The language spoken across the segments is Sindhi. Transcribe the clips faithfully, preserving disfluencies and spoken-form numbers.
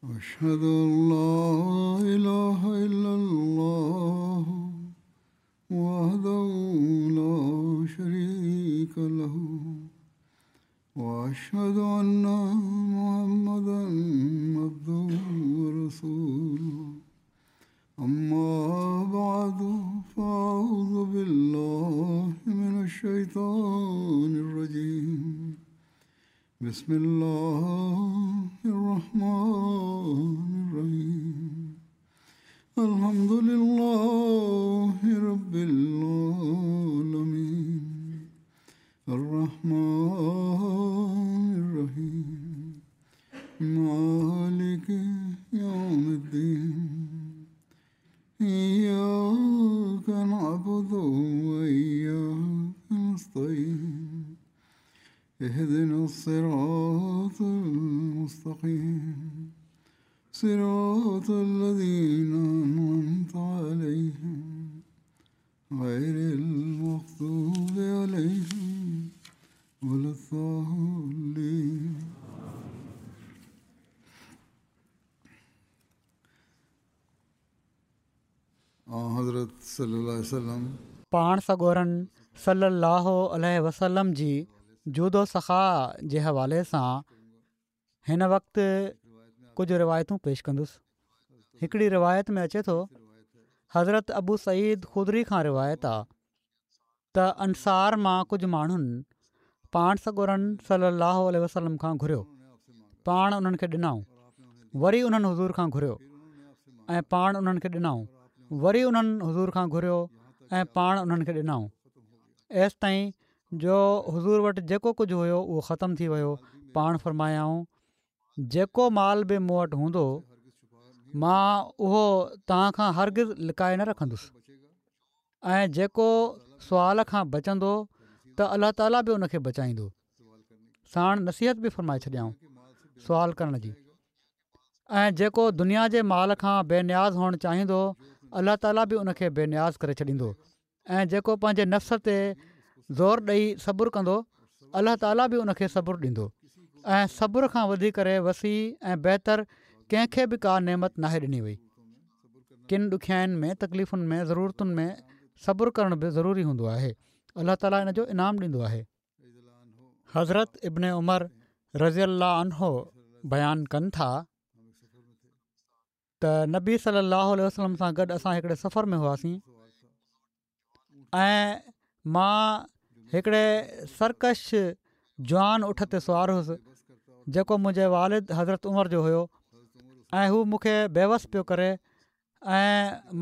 أشهد أن لا إله إلا الله وحده لا شريك له وأشهد أن محمدا عبده ورسوله. أما بعد، فأعوذ بالله من الشيطان الرجيم. بسم الله الرحمن الرحيم. الحمد لله رب العالمين الرحمن الرحيم مالك يوم الدين. إياك نعبد وإياك نستعين. اهدنا الصراط المستقيم صراط الذين أنعمت عليهم غير المغضوب عليهم ولا الضالين. حضرت صلي الله عليه وسلم پاڻ سڳورن صلي الله عليه وسلم جي جود و سخا جي حوالي سان هن وقت ڪجهه روايتون پيش ڪندس. هڪڙي روايت ۾ اچي ٿو، حضرت ابو سعيد خدري کان روايت آ ته انصار مان ڪجهه ماڻهن پاڻ سڳورن صلي الله عليه وسلم کان گهريو، پاڻ انهن کي ڏنائون. وري انهن حضور کان گهريو ۽ پاڻ انهن کي ڏنائون. وري انهن حضور کان گهريو ۽ پاڻ انهن کي ڏنائون، ايستائين جو حضور وٽ جيڪو ڪجهه هيو اهو ختم ٿي ويو. پاڻ فرمايائون، جيڪو مال به مون وٽ هوندو مان اهو توهان کان هرگز لڪائي نه رکندس، ۽ جيڪو سوال کان بچندو ته الله تعاليٰ به ان کي بچائيندو. ساڻ نصيحت به فرمائي ڇڏيائون سوال ڪرڻ جي. ۽ جيڪو دنيا جي مال کان بي نياز هئڻ چاهيندو الله تعاليٰ به ان کي بي نياز ڪري ڇڏيندو، ۽ جيڪو پنهنجي نفس تي زور ڏئي صبر ڪندو الله تعاليٰ به ان کي صبر ڏيندو. ۽ صبر کان وڌي ڪري وسيع ۽ بهتر ڪنهن کي به ڪا نعمت ناهي ڏني وئي. ڪن ڏکيائين ۾ تڪليفن ۾ ضرورتن ۾ صبر ڪرڻ به ضروري هوندو آهي. الله تعاليٰ ان جو انعام ڏيندو آهي. حضرت ابن عمر رضي الله عنه بيان ڪن ٿا ته نبي صلي الله عليه وسلم سان گڏ اسان هڪڙي سفر ۾ هئاسين ۽ مان هڪڙي سرڪش جوان اٺ تي سوار هوس جيڪو منهنجي والد حضرت عمر جو هيو، ۽ هو مون کي بيوس پيو ڪري ۽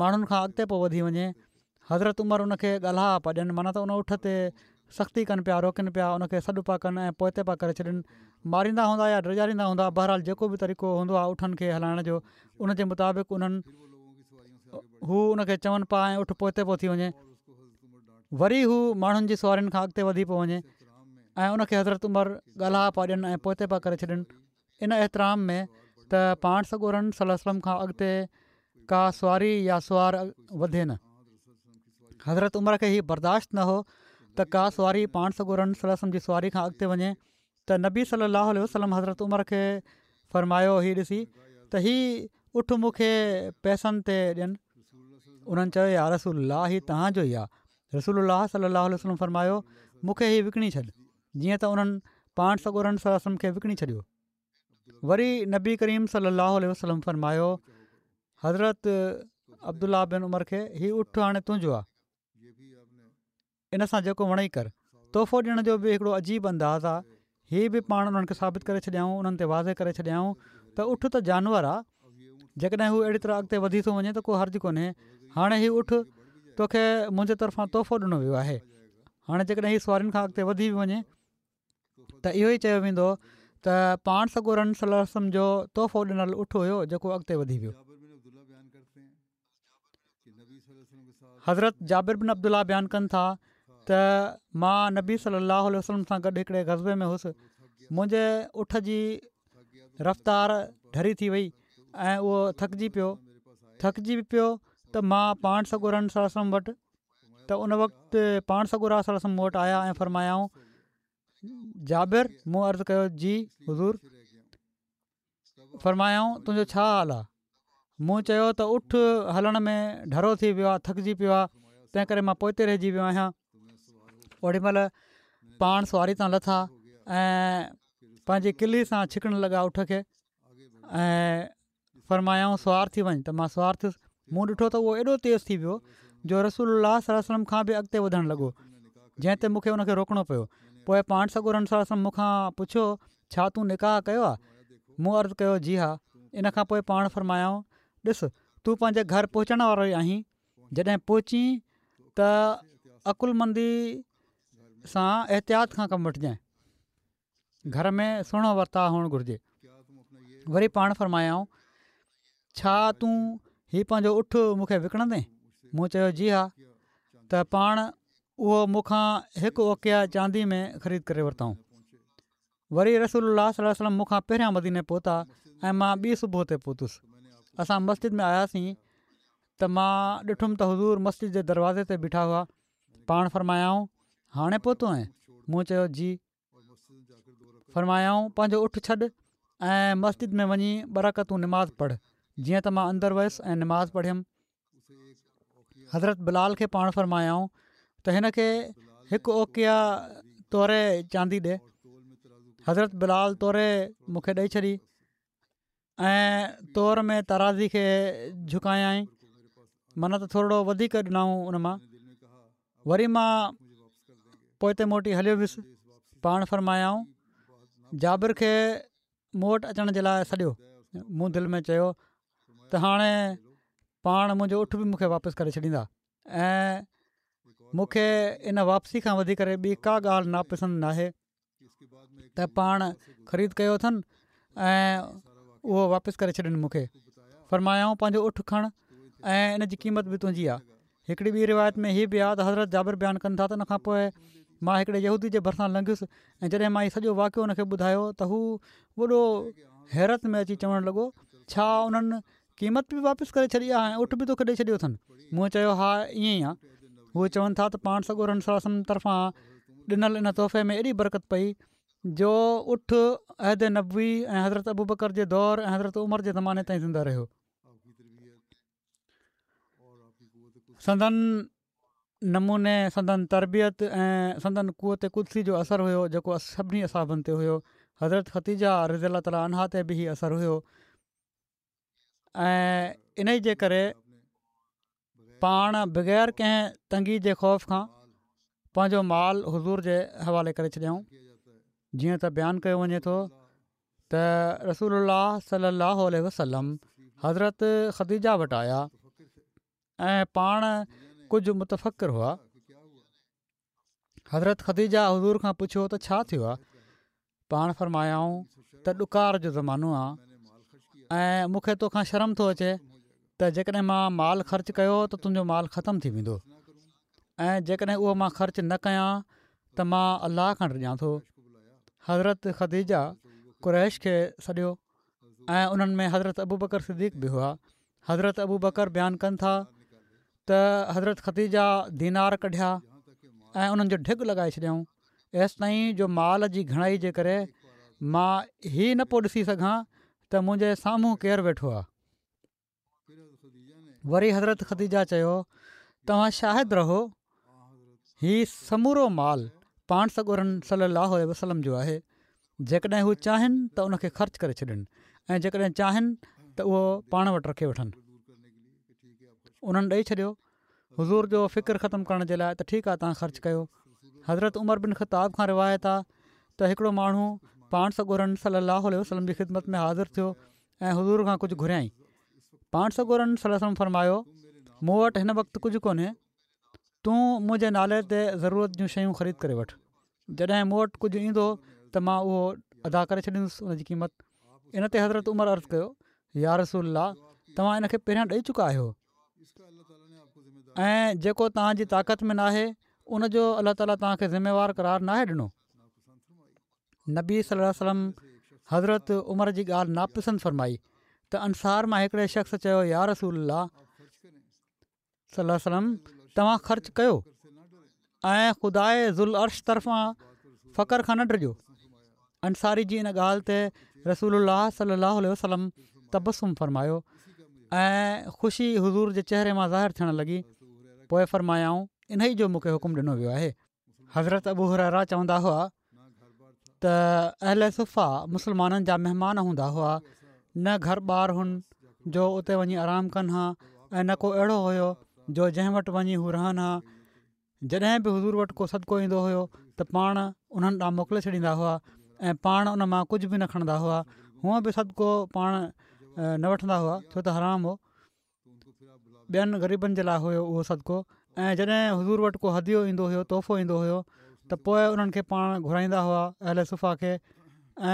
ماڻهن کان اڳتي پيو وڌي وڃي. حضرت عمر ان کي ڳالها پيا ڏين، معنيٰ ته ان اٺ تي سختي ڪن پيا، روڪن پيا، ان کي سڏ پيا ڪن ۽ پوئتي پيا ڪري ڇڏن. ماريندا هوندا يا ڊيڄاريندا هوندا، بهرحال جيڪو به طريقو هوندو آهي اٺن کي هلائڻ جو، ان جي مطابق انهن هو ان کي چون پيا ۽ اٺ پوئتي پيو ٿي وڃي. وري هو ماڻهن جي سوارين کان اڳتي وڌي پيو وڃي ۽ ان کي حضرت عمر ڳالها پيا ڏين ۽ پوئتي پيا ڪري ڇڏن، ان احترام ۾ ته پاڻ سڳورن صلي الله عليه وسلم کان اڳتي ڪا سواري يا سوار وڌي نه. حضرت عمر کي هي برداشت نه هو ته ڪا سواري پاڻ سڳورن صلي الله عليه وسلم جي سواري کان اڳتي وڃي، ته نبي صلي الله عليه وسلم حضرت عمر کي فرمايو هي ڏسي ته هي اٺ مون کي پئسن تي ڏين. انهن چيو، يا رسول الله، هي توهان جو ئي آهي. رسول الله صلي الله عليه وسلم فرمايو، مون کي هي وڪڻي ڇڏ. جيئن ته انهن پاڻ سڳورن صلي الله عليه وسلم کي وڪڻي ڇڏيو. وري نبي ڪريم صلي الله عليه وسلم فرمايو، حضرت عبدالله بن عمر کي، هي اٺ هاڻي تنهنجو آهي، ان سان جيڪو وڻئي ڪر. تحفو ڏيڻ جو به هڪڙو عجيب انداز آهي. هي به پاڻ انهن کي ثابت ڪري ڇڏيائون، انهن تي واضح ڪري ڇڏيائون ته اٺ ته جانور آهي، جيڪڏهن هو اهڙي طرح اڳتي وڌي ٿو وڃي ته ڪو حرج ڪونهي. هاڻي هي اٺ توکي منهنجي طرفان تحفو ڏنو ويو آهي، هاڻي جيڪڏهن هي سوارين کان اڳتي وڌي به وڃي ته اهو ئي چيو ويندو ته پاڻ سڳورن صلي الله عليه وسلم جو تحفو ڏنل اٺ هيو جيڪو اڳتي وڌي ويو. حضرت جابر بن عبدالله بيان ڪن ٿا ته مان نبي صلي الله عليه وسلم سان گڏ هڪڙي غزوي ۾ هوس، منهنجي اٺ جي رفتار ڍري ٿي وئي ۽ اهو ٿڪجي پيو ٿڪجي به پيو ته مان پاڻ سڳورن صلي الله عليه وسلم وٽ ته ان وقت پاڻ سڳورا صلي الله عليه وسلم مون وٽ آيا ۽ فرمايائون، جابر! مون عرض ڪيو، جي حضور! فرمايائون تنهنجو ڇا حال آهي؟ مون چيو ته اٺ هلڻ ۾ ڍرو ٿي ويو آهي، ٿڪجي پيو آهي، تنهن ڪري مان پوئتي رهجي ويو آهيان. اوڏي مهل پاڻ سواري تان لٿا ۽ پنهنجي ڪلي سان ڇڪڻ لڳا اٺ کي ۽ فرمايائون سوار ٿي وڃ ته مان سوار ٿيس. مون ڏٺو ته اهو ايڏو تيز ٿي ويو جو رسول الله صلي الله عليه وسلم کان به اڳتي وڌڻ لڳو، جنهن تي مون کي ان کي روڪڻو پيو. پوء پاڻ سڳورن صلي الله عليه وسلم مون کان پڇيو ڇا تون نڪاح ڪيو آهي؟ مون عرض ڪيو جي ها. ان کان پوء پاڻ فرمايائون ڏس تون پنهنجي گهر پهچڻ وارو ئي آهين، جڏهن پهچين ته عقلمندي سان احتياط کان ڪم وٺجانء. گهر ۾ سهڻو ورتاء هئڻ گهرجي. وري پاڻ فرمايائون ڇا تون هي پنهنجو اٺ مون کي وڪڻندين؟ مون چيو جي ها. ته پاڻ اهو مون کان هڪ اوقيه چاندي ۾ خريد ڪري ورتائون. وري رسول الله صلي الله عليه وسلم مون کان پهريان مديني پهتا ۽ مان ٻي صبح تي پهتس. اسان مسجد ۾ آياسين ته مان ڏٺم ته حضور مسجد جي دروازي تي بيٺا هئا. پاڻ فرمايائون هاڻي پهتو آهين؟ مون چيو جي. فرمايائون پنهنجو اٺ ڇڏ ۽ مسجد ۾ وڃي ٻه رڪعتون نماز پڙهه. جيئن ته مان اندر ويس ۽ نماز پڙهيم. حضرت بلال کي پاڻ فرمايائون ته هن کي هڪ اوقيه توري چاندي ڏي. حضرت بلال توري مون کي ڏئي ڇڏي ۽ تور ۾ ترازي کي جهڪايائين، معنيٰ ته ٿورڙو وڌيڪ ڏنائون ان مان. وري مان پوئتي موٽي هليو ويس. پاڻ فرمايائون جابر کي مون وٽ اچڻ جي لاء سڏيو. مون دل ۾ چيو ته هاڻي پاڻ منهنجو اٺ به مون کي واپس ڪري ڇڏيندا ۽ مون کي ان واپسي کان وڌي ڪري ٻي ڪا ڳالهه ناپسند ناهي ته پاڻ خريد ڪيو اٿن ۽ اهو واپس ڪري ڇڏين مون کي. فرمايائون پنهنجو اٺ کڻ ۽ ان جي قيمت به تنهنجي آهي. هڪڙي ٻي روايت ۾ هي به آهي ته حضرت جابر بيان ڪن ٿا ته ان کان پوء مان هڪڙي يهودي جي ڀرسان لنگهيس ۽ جڏهن مان هي سڄو واقعو ان کي ٻڌايو ته هو وڏو حيرت ۾ اچي چوڻ لڳو ڇا انهن قيمت به واپس ڪري ڇڏي آهي ۽ اٺ به توکي ڏئي ڇڏيو اٿن؟ مون چيو ها ائين ئي آهي. هو چون ٿا ته پاڻ سڳورن صلي الله عليه وسلم طرفان ڏنل ان تحفي ۾ ايڏي برڪت پئي جو اٺ عهد نبوي ۽ حضرت ابوبڪر جي دور ۽ حضرت عمر جي زماني تائين زنده رهيو. سندن نموني سندن تربيت ۽ سندن قوت قدسي جو اثر هيو جيڪو سڀني اصحابن تي هيو. حضرت خديجه رضي الله تعالٰي عنها تي به هي اثر هيو ۽ انهي جي ڪري پاڻ بغير ڪنهن تنگي جي خوف کان پنهنجو مال حضور جي حوالي ڪري ڇڏيائون. جيئن ته بيان ڪيو وڃي ٿو ته رسول الله صلي الله عليه وسلم حضرت خديجه وٽ آيا ۽ پاڻ ڪجهه متفڪر هئا. حضرت خديجه حضور کان پڇيو ته ڇا ٿيو آهي؟ پاڻ فرمايائون ته ڏڪار جو زمانو آهي ۽ مون کي توکان شرم ٿو اچي ته جيڪڏهن مان مال خرچ ڪيو ته تنهنجو مال ختم ٿي ويندو ۽ جيڪڏهن اهو مان خرچ نه ڪيان ته مان الله کان ڊڄان ٿو. حضرت خديجه قريش کي سڏيو ۽ انهن ۾ حضرت ابوبڪر صديق به هئا. حضرت ابوبڪر بيان ڪن ٿا ته حضرت خديجه دينار ڪڍيا ۽ انهن جو ڍڳ لڳائي ڇڏيائون ايستائين جو مال جي گهڻائي جي ڪري مان هي نه پيو ڏسي سگهان ته منهنجي سامهون ڪير ويٺو آهي. وري حضرت خديجه چيو توهان شاهد رهو هي سمورو مال پاڻ سڳورن صلي الله عليه وسلم جو آهي جيڪڏهن هو چاهين ته ان کي خرچ ڪري ڇڏين ۽ جيڪڏهن چاهين ته اهو پاڻ وٽ رکي وٺن. انهن ڏئي ڇڏيو. حضور جو فڪر ختم ڪرڻ جي لاء ته ٺيڪ آهي توهان خرچ ڪيو. حضرت عمر بن خطاب کان روايت آهي ته هڪڙو ماڻهو پاڻ سڳورن صلي الله عليه وسلم جي خدمت ۾ حاضر ٿيو ۽ حضور کان ڪجهه گهريائين. پاڻ سڳورن صلي الله عليه وسلم فرمايو مون وٽ هن وقت ڪجهه ڪونهي تون منهنجي نالي تي ضرورت جون شيون خريد ڪري وٺ. جڏهن مون وٽ ڪجهه ايندو ته مان اهو ادا ڪري ڇڏيندس ان جي قيمت. ان تي حضرت عمر عرض ڪيو، يا رسول الله توهان ان کي پهريان ڏئي چڪا آهيو ۽ جيڪو توهان جي طاقت ۾ ناهي ان جو الله تعالي توهان کي ذميوار قرار ناهي ڏنو. نبي صلي الله عليه وسلم حضرت عمر جي ڳالهه ناپسند فرمائي ته انصار مان هڪڙي شخص چيو يا رسول الله! صلي الله عليه وسلم توهان خرچ ڪيو ۽ خداءِ ذوالعرش طرفان فقر کان نه ڊڄو انصاري جي ان ڳالهه تي رسول الله صلي الله عليه وسلم تبسم فرمايو ۽ خوشي حضور جي چهري مان ظاهر ٿيڻ لڳي. پوءِ فرمايائون انهي جو مون کي حڪم ڏنو ويو آهي. حضرت ابو هريره چوندا هئا ته اهل صفه مسلمانن جا مهمان هوندا هئا، نه گهر ٻار هن جو اتي وڃي آرام ڪن ها ۽ نه ڪو اهڙو هيو جو جنهن وٽ وڃي هو رهن ها. جڏهن به حضور وٽ ڪو صدقو ايندو هيو ته پاڻ انهن ڏانهن موڪلي ڇڏيندا هئا ۽ پاڻ ان مان ڪجهه به نه کڻندا هئا. هونئن به صدقو پاڻ نه وٺندا هئا ڇو ته حرام هو، ٻين غريبن جي لاءِ هيو اهو صدقو. ۽ جڏهن حضور وٽ ڪو هديو ايندو هيو، تحفو ايندو هيو ته پوءِ انهن کي پاڻ گهرائيندا هئا اهل صفه کي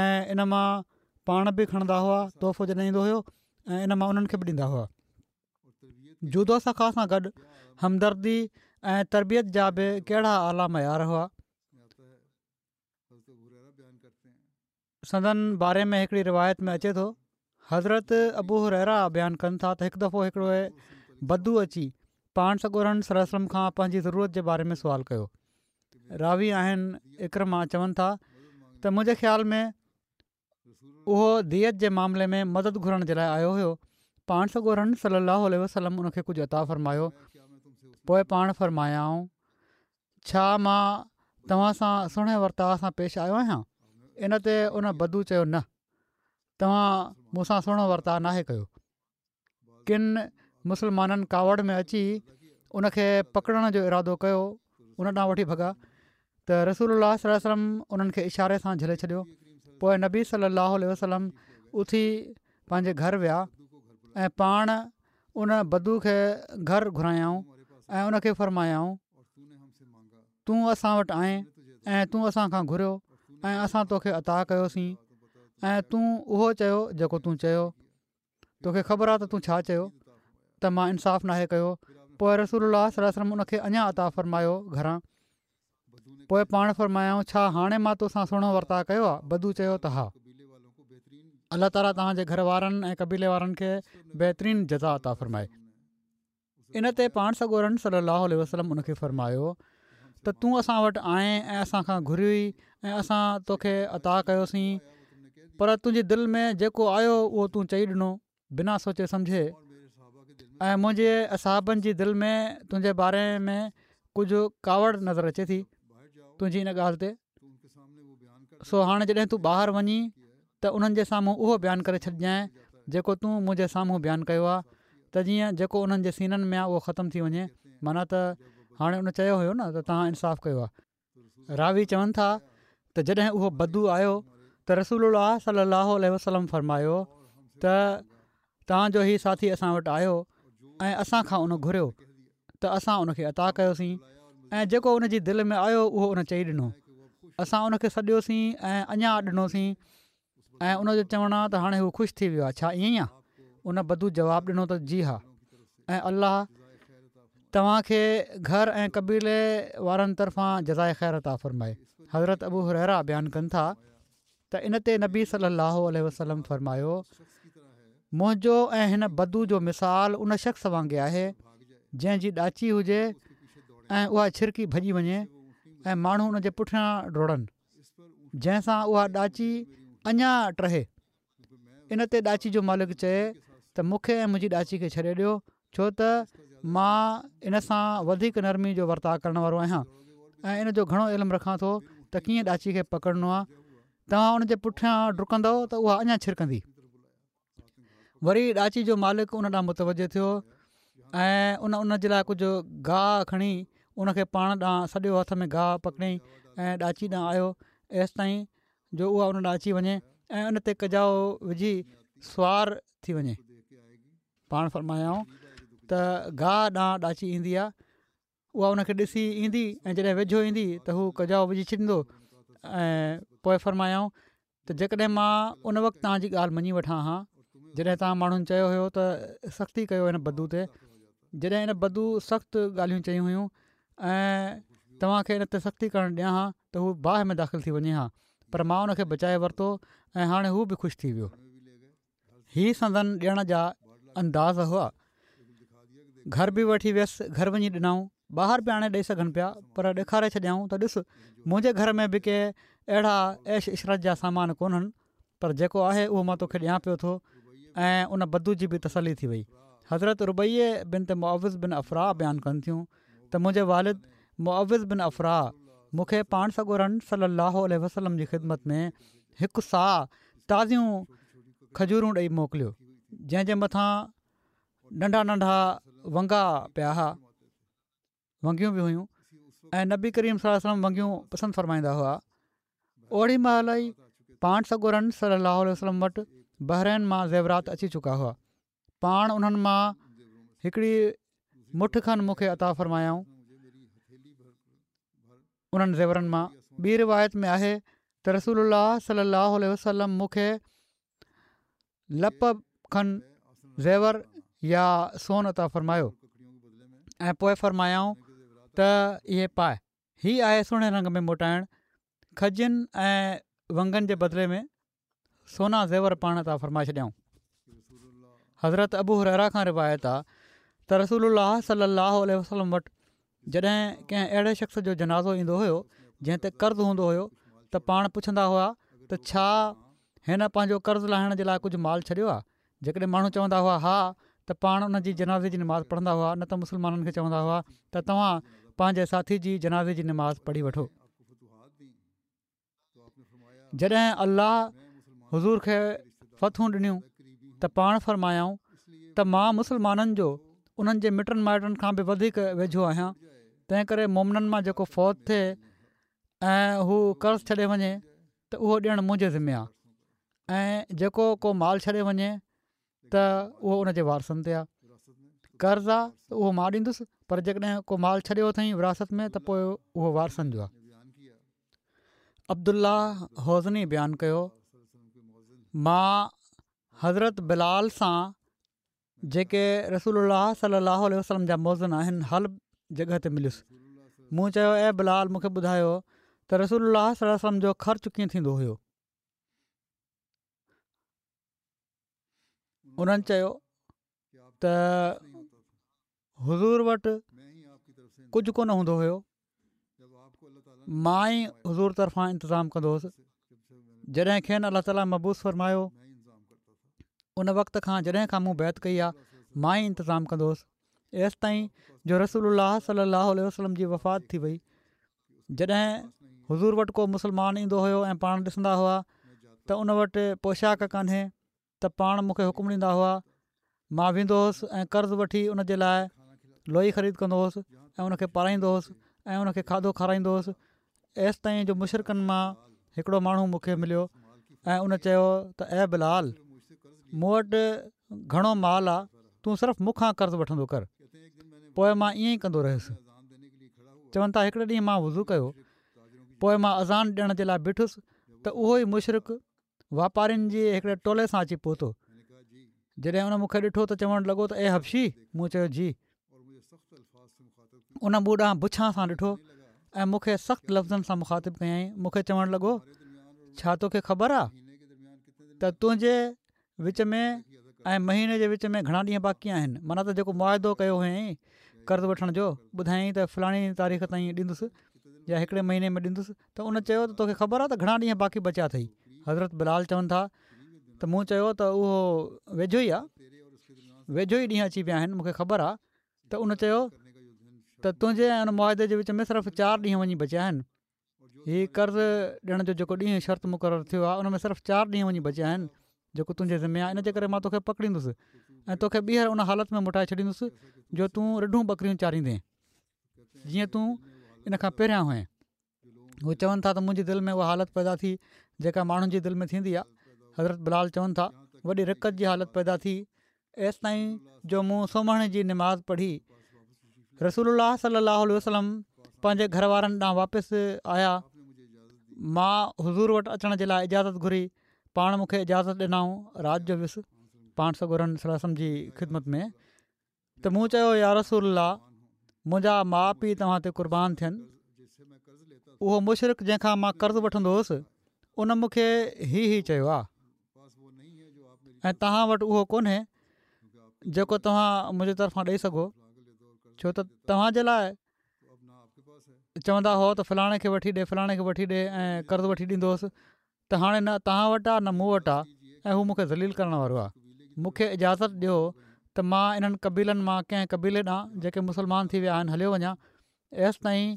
۽ ان مان پاڻ به کڻندا هئا تحفو جڏهن ايندو هيو ۽ ان مان انهن کي به ڏيندا هئا. جود و سخا سان گڏ همدردي ۽ تربيت جا به ڪهڙا اعليٰ معيار هئا. سندن باري ۾ هڪڙي روايت ۾ اچي ٿو، حضرت ابو هريره بيان ڪن ٿا ته هڪ دفعو هڪڙو بدو اچي پاڻ سڳورن صلي الله عليه وسلم کان پنهنجي ضرورت جي باري ۾ سوال ڪيو. راوي آهن عڪرمه، چون ٿا ته منهنجي خيال ۾ اهو ديت جي معاملي ۾ مدد گهرڻ جي لاءِ آيو هيو. پاڻ سڳورن صلي الله عليه وسلم ان کي ڪجهه عطا فرمايو. پوءِ پاڻ فرمايائون ڇا مان توهان سان سهڻي ورتاءُ سان پيش آيو آهيان؟ ان تي ان بدو چيو نه، توهان مون سان سهڻو ورتاءُ ناهي ڪيو. ڪن مسلمانن ڪاوڙ ۾ اچي ان کي پڪڙڻ جو ارادو ڪيو، ان ڏانهن وٺي ڀڳا ته رسول الله صلي الله عليه وسلم انهن کي اشاري سان جهلي ڇڏيو. پوءِ نبي صلي الله عليه وسلم اٿي پنهنجي گهر ويا ۽ پاڻ ان بدو کي گهر گهرايائون ۽ ان کي فرمايائون تون اسان وٽ آئين ۽ تون اسان کان گهريو ۽ اسان توکي عطا ڪيوسين ۽ تون اهو چيو جيڪو تون چيو، توکي خبر آهي ته تون ڇا چيو ته مان انصاف ناهي ڪيو. پوءِ رسول الله صلي الله عليه وسلم ان کي اڃا عطا فرمايو گهران. پوءِ پاڻ فرمايائون ڇا هاڻي مان توسان سهڻو ورتاءُ ڪيو آهي؟ بدو چيو ته ها. الله تعاليٰ توهان جي گهر وارن ۽ قبيلي وارن کي بهترين جزا عطا فرمائي. ان تي پاڻ سڳورن صلي الله عليه وسلم ان کي فرمايو ته تون اسان وٽ آئين ۽ اسان کان گهريوئي ۽ اسان توکي عطا ڪيوسين، پر تنهنجي دل ۾ جيڪو آيو اهو تون چئي ڏنو بنا سوچي سمجهي، ۽ منهنجي اصحابن جي دل ۾ تنهنجي باري ۾ ڪجهه ڪاوڙ نظر اچي ٿي تنهنجي ان ڳالهه تي. سو هاڻي جڏهن تون ٻاهر وڃين ته انهن جي سامهون اهو بيان ڪري ڇڏجانءِ جيڪو تون منهنجي سامهون بيان ڪيو آهي، ته جيئن جيڪو انهن جي سينن ۾ آهي اهو ختم ٿي وڃي. معنيٰ ته هاڻي ان چيو هيو نه ته توهان انصاف ڪيو آهي. راوي چون ٿا ته جڏهن اهو بدو آيو ته رسول الله صلي الله عليه وسلم فرمايو ته توهان جو هي ساٿي اسان وٽ آيو ۽ اسان کان ان گهريو ته اسان ان کي عطا ڪيوسين ۽ جيڪو ان جي دل ۾ آيو اهو ان چئي ڏنو. اسان ان کي سڏيوسين ۽ اڃا ڏنوسين ۽ ان جو چوڻ آهي ته هاڻي هو خوش ٿي ويو آهي، ڇا ائين ئي آهي؟ ان بدو جواب ڏنو ته جي ها، ۽ الله توهان کي گهر ۽ قبيلي وارن طرفان جزائي خير عطا فرمائي. حضرت ابو هريره بيان ڪن ٿا ته ان تي نبي صلي الله عليه وسلم فرمايو منهنجو ۽ هن بدو جو مثال ان شخص وانگي آهي جنهن جي ڏاچي هجي ۽ اها ڇرڪي ڀڄي وڃي ۽ ماڻهو ان جي پٺيان ڊوڙن، جنهن سان اها ڏاچي اڃا ٽهي. ان تي ڏاچي جو مالڪ چئي ته مون کي ۽ منهنجي ڏاچي کي ڇڏي ڏيو، ڇو ته مان ان سان وڌيڪ نرمي جو ورتاءُ ڪرڻ وارو آهيان ۽ ان جو گهڻو علم رکان ٿو ته ڪيئن ڏاچي کي پڪڙڻو آهي. توهان ان جي پٺيان ڊڪندؤ ته اها اڃا ڇرڪندي. وري ڏاچي جو مالڪ ان ڏانهن متوجه ٿيو ۽ ان ان جي لاءِ ڪجهه گاهه کڻي ان کي پاڻ ڏانهن سڏيو، هٿ ۾ گاهه پڪڙيائين ۽ ڏاچي ڏانهن آيو ايستائين جو اها ان ڏانهن اچي وڃي ۽ ان تي ڪجائو وجهي سوار ٿي وڃي. پاڻ فرمايائون ته گاهه ڏانهن ڏاچي ايندي آهي، اها ان کي ڏسي ايندي ۽ جڏهن ويجهو ايندي ته هو ڪجائو وجهي ڇڏيندو. ۽ پوءِ فرمايائون ته جيڪڏهن مان ان وقت توهان جي ڳالهه مڃي وٺان ها جڏهن توهان ماڻهن چيو هيو ته سختي ڪيو هن بدو تي، جڏهن هن بدو سخت ڳالهيون چيون هيون ۽ توهان کي ان تي سختي ڪرڻ ڏيان ها ته هو باهه ۾ داخل ٿي وڃي ها، پر مان ان کي بچائي ورتو ۽ هاڻي هو به خوش ٿي ويو. هي سندن ڏيڻ جا انداز هئا. گهر به وٺي ويس، گهر وڃي ڏنائون. ٻاهر به آڻي ڏئي سگهن پيا، پر ڏيکاري ڇڏيائون ته ڏس منهنجي گهر ۾ به ڪي اهڙا عيش عشرت جا سامان ڪونهن، پر جيڪو آهي اهو مان توکي ڏيان پيو ٿو. ۽ ان بدو جي به تسلي ٿي وئي. حضرت ربيع بنت معوذ بن عفراء بيان ڪن ٿيون ته منهنجي والد معوذ بن عفراء مون کي پاڻ سڳورن صلي الله عليه وسلم جي خدمت ۾ هڪ صاع تازيون کجورون ڏئي موڪليو، جنهن جي مٿان ننڍا ننڍا ونگا پيا هئا، ونگيون به هيون ۽ نبي ڪريم صلي الله عليه وسلم ونگيون پسند فرمائيندا هئا. اوڙي مهل ئي پاڻ سڳورن صلي الله عليه وسلم وٽ بحرين مان زيورات اچي چڪا هئا. پاڻ انهن مان هڪڙي مٺ کن مون کي عطا فرمايائون. انهن زيورن مان ٻي روايت ۾ آهي ته رسول الله صلي الله عليه وسلم مون کي لپ کن زيور يا سون عطا فرمايو ۽ پوء فرمايائون ته اهي پاء. هي آهي سهڻي رنگ ۾ موٽائڻ. کجين ۽ ونگن جي بدلي ۾ سونا زيور پاڻ عطا فرمائي ڇڏيائون. حضرت ابو هريره کان روايت آ ته رسول الله صلي الله عليه وسلم وٽ جڏهن ڪنهن اهڙي شخص جو جنازو ايندو هيو جنهن تي قرض هوندو هيو ته پاڻ پڇندا هئا ته ڇا هن پنهنجو قرض لاهڻ جي لاء ڪجهه مال ڇڏيو آ؟ جيڪڏهن ماڻهو چوندا هئا ها ته پاڻ ان جي جنازي جي نماز پڙهندا هئا، نه ته مسلمانن کي چوندا هئا ته توهان پنهنجي ساٿي جي جنازي جي نماز پڙهي وٺو. جڏهن الله حضور کي فتحون ڏنيون ته پاڻ فرمايائون ته مان مسلمانن جو انهن جي مٽن مائٽن کان به وڌيڪ ويجهو آهيان، تنهن ڪري مومنن مان جيڪو فوت ٿئي ۽ هو قرض ڇڏي وڃي ته اهو ڏيڻ منهنجي ذمي آهي ۽ جيڪو ڪو مال ڇڏي وڃي ته اهو ان جي وارثن تي آهي. قرض آ ته اهو مان ڏيندس پر جيڪڏهن ڪو مال ڇڏيو اٿئين وراثت ۾ ته پوء اهو وارثن جو آهي. عبدالله هوزني بيان ڪيو، مان حضرت بلال سان جيڪي رسول الله صلي الله عليه وسلم جا مؤذن آهن حلب جڳهه تي مليس. مون چيو اي بلال مون کي ٻڌايو ته رسول الله صلي الله عليه وسلم جو خرچ ڪيئن ٿيندو هيو؟ انهن چيو ته حضور وٽ ڪجهه ڪونه هوندو هيو، مان ئي حضور طرفان انتظام ڪندو هوس. جڏهن کين الله تعاليٰ مبعوث فرمايو ان وقت کان جڏهن کان مون بيعت ڪئي آهي مان ئي انتظام ڪندو هوس، ايستائين جو رسول الله صلي الله عليه وسلم جي وفات ٿي وئي. جڏهن حضور وٽ ڪو مسلمان ايندو هيو ۽ پاڻ ڏسندا هئا ته ان وٽ پوشاڪ ڪانهي ته پاڻ مون کي حڪم ڏيندا هئا، مان ويندو هوس ۽ قرض وٺي ان جي لاء لوئي خريد ڪندو هوس ۽ ان کي پارائيندو هوس ۽ ان کي کاڌو کارائيندو هوس، ايستائين جو مشرڪن مان هڪڙو ماڻهو مون کي مليو ۽ ان چيو ته اي بلال! مون وٽ گهڻو مال آ، تون صرف مون کان قرض وٺندو ڪر. پوء مان ائين ئي ڪندو رهيس. چون ٿا هڪڙي ڏينهن مان وضو ڪيو، پوء مان اذان ڏيڻ جي لاء بيٺس ته اهو ئي مشرڪ واپارين جي هڪڙي ٽولي سان اچي پهتو. جڏهن ان مون کي ڏٺو ته چوڻ لڳو ته اي حبشي! مون چيو جي. ان مون ڏانهن بڇان سان ڏٺو ۽ مون کي سخت لفظن سان مخاطب ڪيائين. مون کي چوڻ لڳو ڇا توکي خبر آ ته تنهنجي وچ ۾ ۽ مهيني جي وچ ۾ گهڻا ڏينهن باقي آهن معنيٰ ته جيڪو معاهدو ڪيو هئائين قرض وٺڻ جو ٻڌايائين ته فلاڻي تاريخ تائين ڏيندس يا هڪڙي مهيني ۾ ڏيندس ته ان چيو ته توکي خبر آهي ته گهڻا ڏينهن باقي بچيا اٿئي حضرت بلال چون ٿا ته مون چيو ته اهو ويجهو ئي آهي ويجهو ئي ڏينهن اچي ويا آهن مونکي خبر آهي ته ان چيو ته تنهنجي ۽ ان معاهدي جي وچ ۾ صرف چار ڏينهن وڃي بچيا آهن هي قرض ڏيڻ جو جيڪو ڏينهن شرط مقرر ٿيو آهي ان ۾ صرف چار ڏينهن وڃي بچيا آهن جيڪو تنهنجي ذمي آهي ان جي ڪري مان توکي پڪڙيندس ۽ توکي ٻيهر ان حالت ۾ موٽائي ڇڏيندس جو تون رڍون ٻڪريون چاريندين جيئن تون ان کان پهريان هئين هو چون ٿا ته منهنجي دل ۾ اها حالت پيدا ٿي جيڪا ماڻهن جي دل ۾ ٿيندي آهي حضرت بلال چون ٿا وڏي رقت جي حالت پيدا ٿي ايستائين جو مون سومهڻي جي نماز پڙهي. رسول الله صلي الله عليه وسلم پنهنجي گهر وارن ڏانهن واپس آيا. مان حضور وٽ اچڻ جي لاء اجازت گهري، پاڻ مون کي اجازت ڏنائون. رات جو ويس پاڻ سڳورن صلي الله عليه وسلم جي خدمت ۾ ته مون چيو يا رسول الله منهنجا ماء پيء توهان تي قربان ٿين. اهو مشرڪ جنهن کان مان قرض وٺندو هوس ان مون کي هي هي چيو آهي. ۽ توهان وٽ اهو ڪونهي جيڪو توهان منهنجي طرفان ڏئي سگهو ڇو ته توهان جي لاء چوندا هئا ته فلاڻي کي وٺي ڏي فلاڻي کي وٺي ڏي ۽ قرض وٺي ڏيندو هوس ته هاڻي نه توهان وٽ آ نه مون وٽ آ ۽ هو مون کي ذليل ڪرڻ وارو آ. مون کي اجازت ڏيو ته مان انهن قبيلن مان ڪنهن قبيلي ڏانهن جيڪي مسلمان ٿي ويا آهن هليو وڃان ايستائين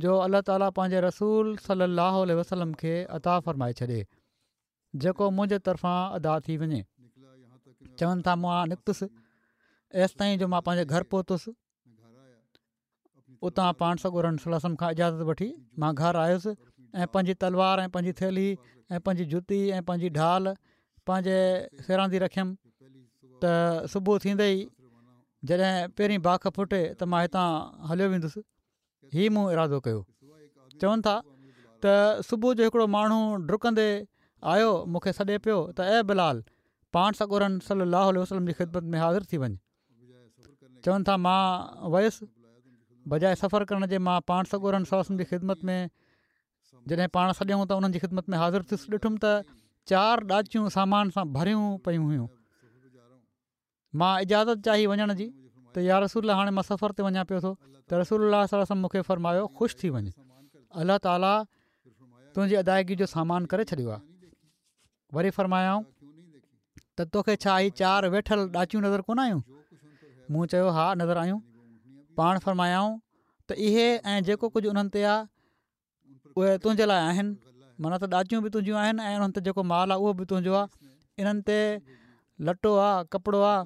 جو الله تعاليٰ پنهنجي رسول صلي الله عليه وسلم کي عطا فرمائي ڇڏي جيڪو منهنجي طرفان ادا ٿي وڃي. چون ٿا مان نڪتس ايستائين جو مان پنهنجي گهر پهتس. اتان پاڻ سڳورن صلي الله عليه وسلم کان اجازت وٺي مان گهر آيس ۽ پنهنجي تلوار ۽ پنهنجي ٿيلهي ۽ پنهنجي جتي ۽ پنهنجي ڍال پنهنجي سيراندي رکيم ته صبح ٿيندي ئي جڏهن پهرين باک ڦٽي ته مان هتان هليو ويندس هي مون ارادو ڪيو چون ٿا ته صبح جو هڪڙو ماڻهو ڊڪندي آيو مون کي سڏي پيو ته اي بلال پاڻ سڳورن صلي الله عليه وسلم جي خدمت ۾ حاضر ٿي وڃ چون ٿا مان ويس بجاء سفر ڪرڻ جي مان پاڻ سڳورن صلي الله عليه وسلم جي خدمت ۾ جڏهن پاڻ سڏيائون ته انهن جي خدمت ۾ حاضر ٿيس ڏٺم ته چار ڏاچيون سامان سان ڀريون پيون هيون مان اجازت چاهي وڃڻ جي ته يا رسول الله هاڻي مان سفر تي وڃان پيو ٿو ته رسول الله صلي الله عليه وسلم مون کي فرمايو خوش ٿي وڃ الله تعاليٰ تنهنجي ادائگي جو سامان ڪري ڇڏيو آهي وري فرمايائون ته توکي ڇا هي چار ويٺل ڏاچيون نظر ڪونه آيون؟ مون چيو ها نظر آيون. پاڻ فرمايائون ته اهي ۽ جيڪو ڪجهه انهن تي آهي اهي تنهنجي لاء آهن معنيٰ ته ڏاچيون به تنهنجون آهن ۽ انهن تي جيڪو مال آهي اهو به تنهنجو آهي انهن تي لٽو آهي ڪپڙو آهي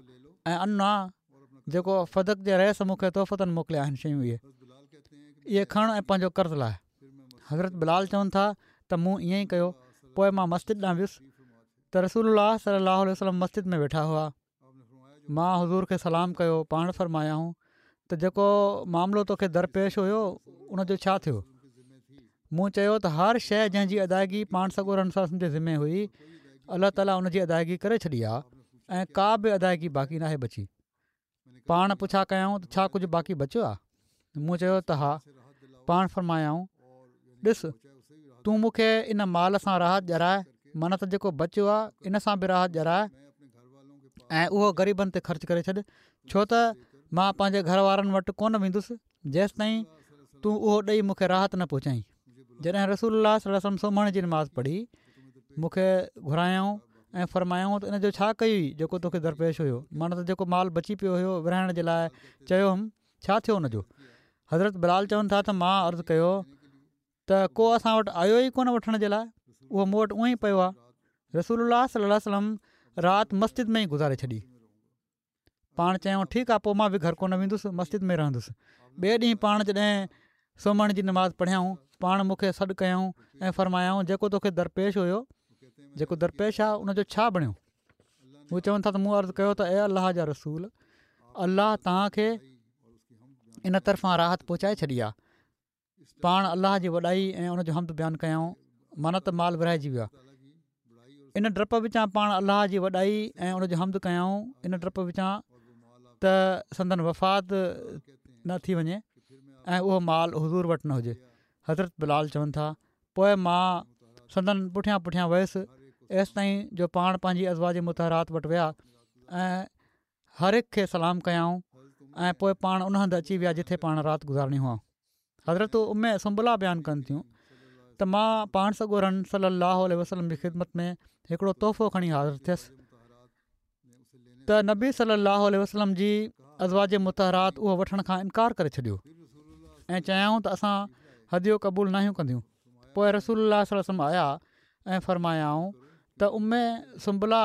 ۽ ان آهي جيڪو فدڪ جي رئيس مون کي تحفتاً موڪليا آهن شيون اهي اهي کڻ ۽ پنهنجو قرض لاهه حضرت بلال چون ٿا ته مون ائين ئي ڪيو پوء مان مسجد ڏانهن ويس ته رسول الله صلي الله عليه وسلم مسجد ۾ ويٺا هئا مان حضور کي سلام ڪيو پاڻ فرمايائون ته جيڪو معاملو توکي درپيش هيو ان جو ڇا ٿيو مون چيو ته هر شيء جنهن جي ادائگي پاڻ سڳورن صلي الله عليه وسلم جي ذمي هئي الله تعاليٰ ان جي ادائگي ڪري ڇڏي آهي ۽ ڪا به ادائگي باقي ناهي بچي پاڻ پڇا ڪيائون ته ڇا ڪجهه باقي بچيو آهي؟ مون چيو ته ها. پاڻ فرمايائون، ڏس تون مون کي ان مال سان راحت ڏيارائي معنيٰ ته جيڪو بچيو آهي ان سان به راحت ڏيارائي ۽ اهو غريبن تي خرچ ڪري ڇڏ ڇو ته مان پنهنجي گهر وارن وٽ ڪونه ويندس جيستائين تون اهو ڏئي مون کي راحت نه پهچائين. جڏهن رسول الله صلي الله عليه وسلم سومهڻي جي نماز پڙهي مون کي گهرايائون ۽ فرمايائون ته ان جو ڇا ڪيئي جيڪو توکي درپيش هيو معنيٰ ته جيڪو مال بچي پيو هيو ورهائڻ جي لاء چيو هئم ڇا ٿيو ان جو حضرت بلال چون ٿا ته مان عرض ڪيو ته ڪو اسان وٽ آيو ئي ڪونه وٺڻ جي لاء اهو مون وٽ اونئي پيو آهي رسول الله صلي الله عليه وسلم رات مسجد ۾ ئي گذاري ڇڏي پاڻ چيائون ٺيڪ آ پوء مان به گهر ڪونه ويندس مسجد ۾ رهندس. ٻئي ڏينهن پاڻ جڏهن سومهڻي جي نماز پڙهيائون پاڻ مون کي سڏ ڪيائون ۽ فرمايائون جيڪو توکي درپيش هيو جيڪو درپيش آ ان جو ڇا بڻيو؟ هو چون ٿا ته مون عرض ڪيو ته اي الله جا رسول الله توهان کي ان طرفان راحت پهچائي ڇڏي آ. پاڻ الله جي وڏائي ۽ ان جو حمد بيان ڪيائون معنيٰ ته مال ورهائجي ويو آهي ان ڊپ وچان پاڻ الله جي وڏائي ۽ ان جو حمد ڪيائون ان ڊپ وچان ته سندن وفات نه ٿي وڃي ۽ اهو مال حضور وٽ نه هجي حضرت بلال چون ٿا پوء مان سندن پٺيان پٺيان ويس ايستائين جو پاڻ پنهنجي ازواج مطهرات وٽ ويا ۽ هر هڪ کي سلام ڪيائون ۽ پوء پاڻ ان هنڌ اچي ويا جتي پاڻ رات گذارڻي هئائون. حضرت ام سنبله بيان ڪن ٿيون ته مان پاڻ سڳورن صلي الله عليه وسلم جي خدمت ۾ هڪڙو تحفو کڻي حاضر ٿيس ته نبي صلي الله عليه وسلم جي ازواج مطهرات اهو وٺڻ کان انڪار ڪري ڇڏيو ۽ چيائون ته اسان هديو قبول ناهيون ڪنديون پوء رسول الله صلي الله عليه وسلم آيا ۽ فرمايائون ته ام سنبله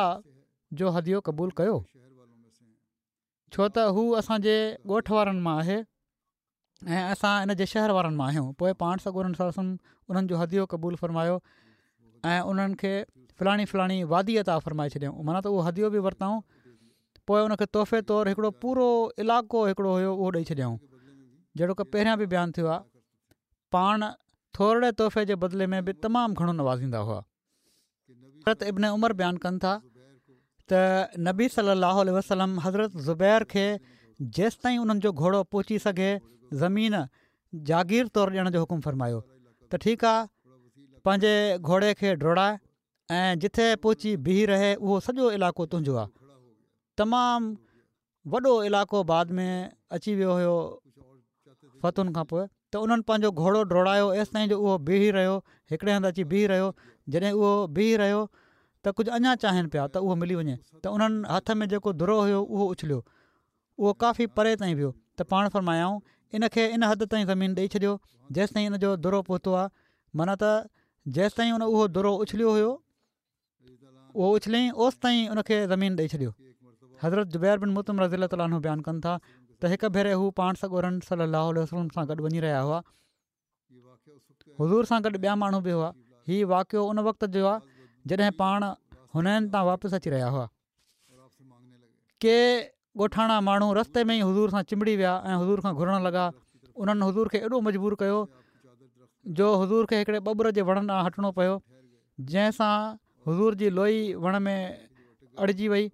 جو هديو قبول ڪيو ڇو ته هو اسان جي ڳوٺ وارن مان آهي ۽ اسان ان جي شهر وارن مان آهيون پوء پاڻ سڳورن صلي الله عليه وسلم انهن جو هديو قبول فرمايو ۽ انهن کي فلاڻي فلاڻي وادي عطا فرمائي ڇڏيائون معنيٰ ته اهو هديو به ورتائون پوء ان کي تحفي طور هڪڙو پورو علائقو هڪڙو هيو اهو ڏئي ڇڏيائون جهڙوڪ پهريان به بيان ٿيو آهي پاڻ ٿورڙي تحفي جي بدلي ۾ به تمام گهڻو نوازيندا هئا حضرت ابن عمر بيان ڪن ٿا ته نبي صلي الله عليه وسلم حضرت زبير کي جيستائين انهن جو گهوڙو پهچي سگهي زمين جاگير طور ڏيڻ جو حڪم فرمايو ته ٺيڪ آ پنهنجي گهوڙي کي ڊوڙاء ۽ جتي پهچي بيهي رهي اهو سڄو علائقو تنهنجو آ تمام وڏو علائقو بعد ۾ اچي ويو هيو فتحن کان پوء ته انهن پنهنجو گهوڙو ڊوڙايو ايستائين جو اهو بيهي رهيو. هڪڙي هنڌ اچي بيهي رهيو. جڏهن اهو بيهي رهيو ته ڪجهه اڃا چاهين پيا ته اهو ملي وڃي ته انهن هٿ ۾ جيڪو درو هيو اهو اڇليو. اهو ڪافي پري تائين ويو ته پاڻ فرمايائون ان کي ان حد تائين زمين ڏئي ڇڏيو جيستائين ان جو درو پهتو آهي، معنيٰ ته جيستائين ان اهو درو اڇليو هيو اهو اڇليائين اوستائين ان کي زمين ڏئي ڇڏيو. حضرت جبير بن مطعم رضي الله تعالٰي عنه بيان ڪن ٿا ته هڪ ڀيري هو پاڻ سڳورن صلي الله عليه وسلم سان گڏ وڃي رهيا هئا. حضور سان گڏ ٻيا ماڻهو به هئا. هي واقعو ان وقت جو آهي جڏهن پاڻ حنين تان واپس اچي رهيا هئا. ڪي ڳوٺاڻا ماڻهو رستي ۾ ئي حضور سان چنبڙي ويا ۽ حضور کان گهرڻ لڳا. انهن حضور کي ايڏو مجبور ڪيو جو حضور کي هڪڙي ٻٻر جي وڻ ڏانهن هٽڻو پيو، جنهن سان حضور جي لوئي وڻ ۾ اڙجي وئي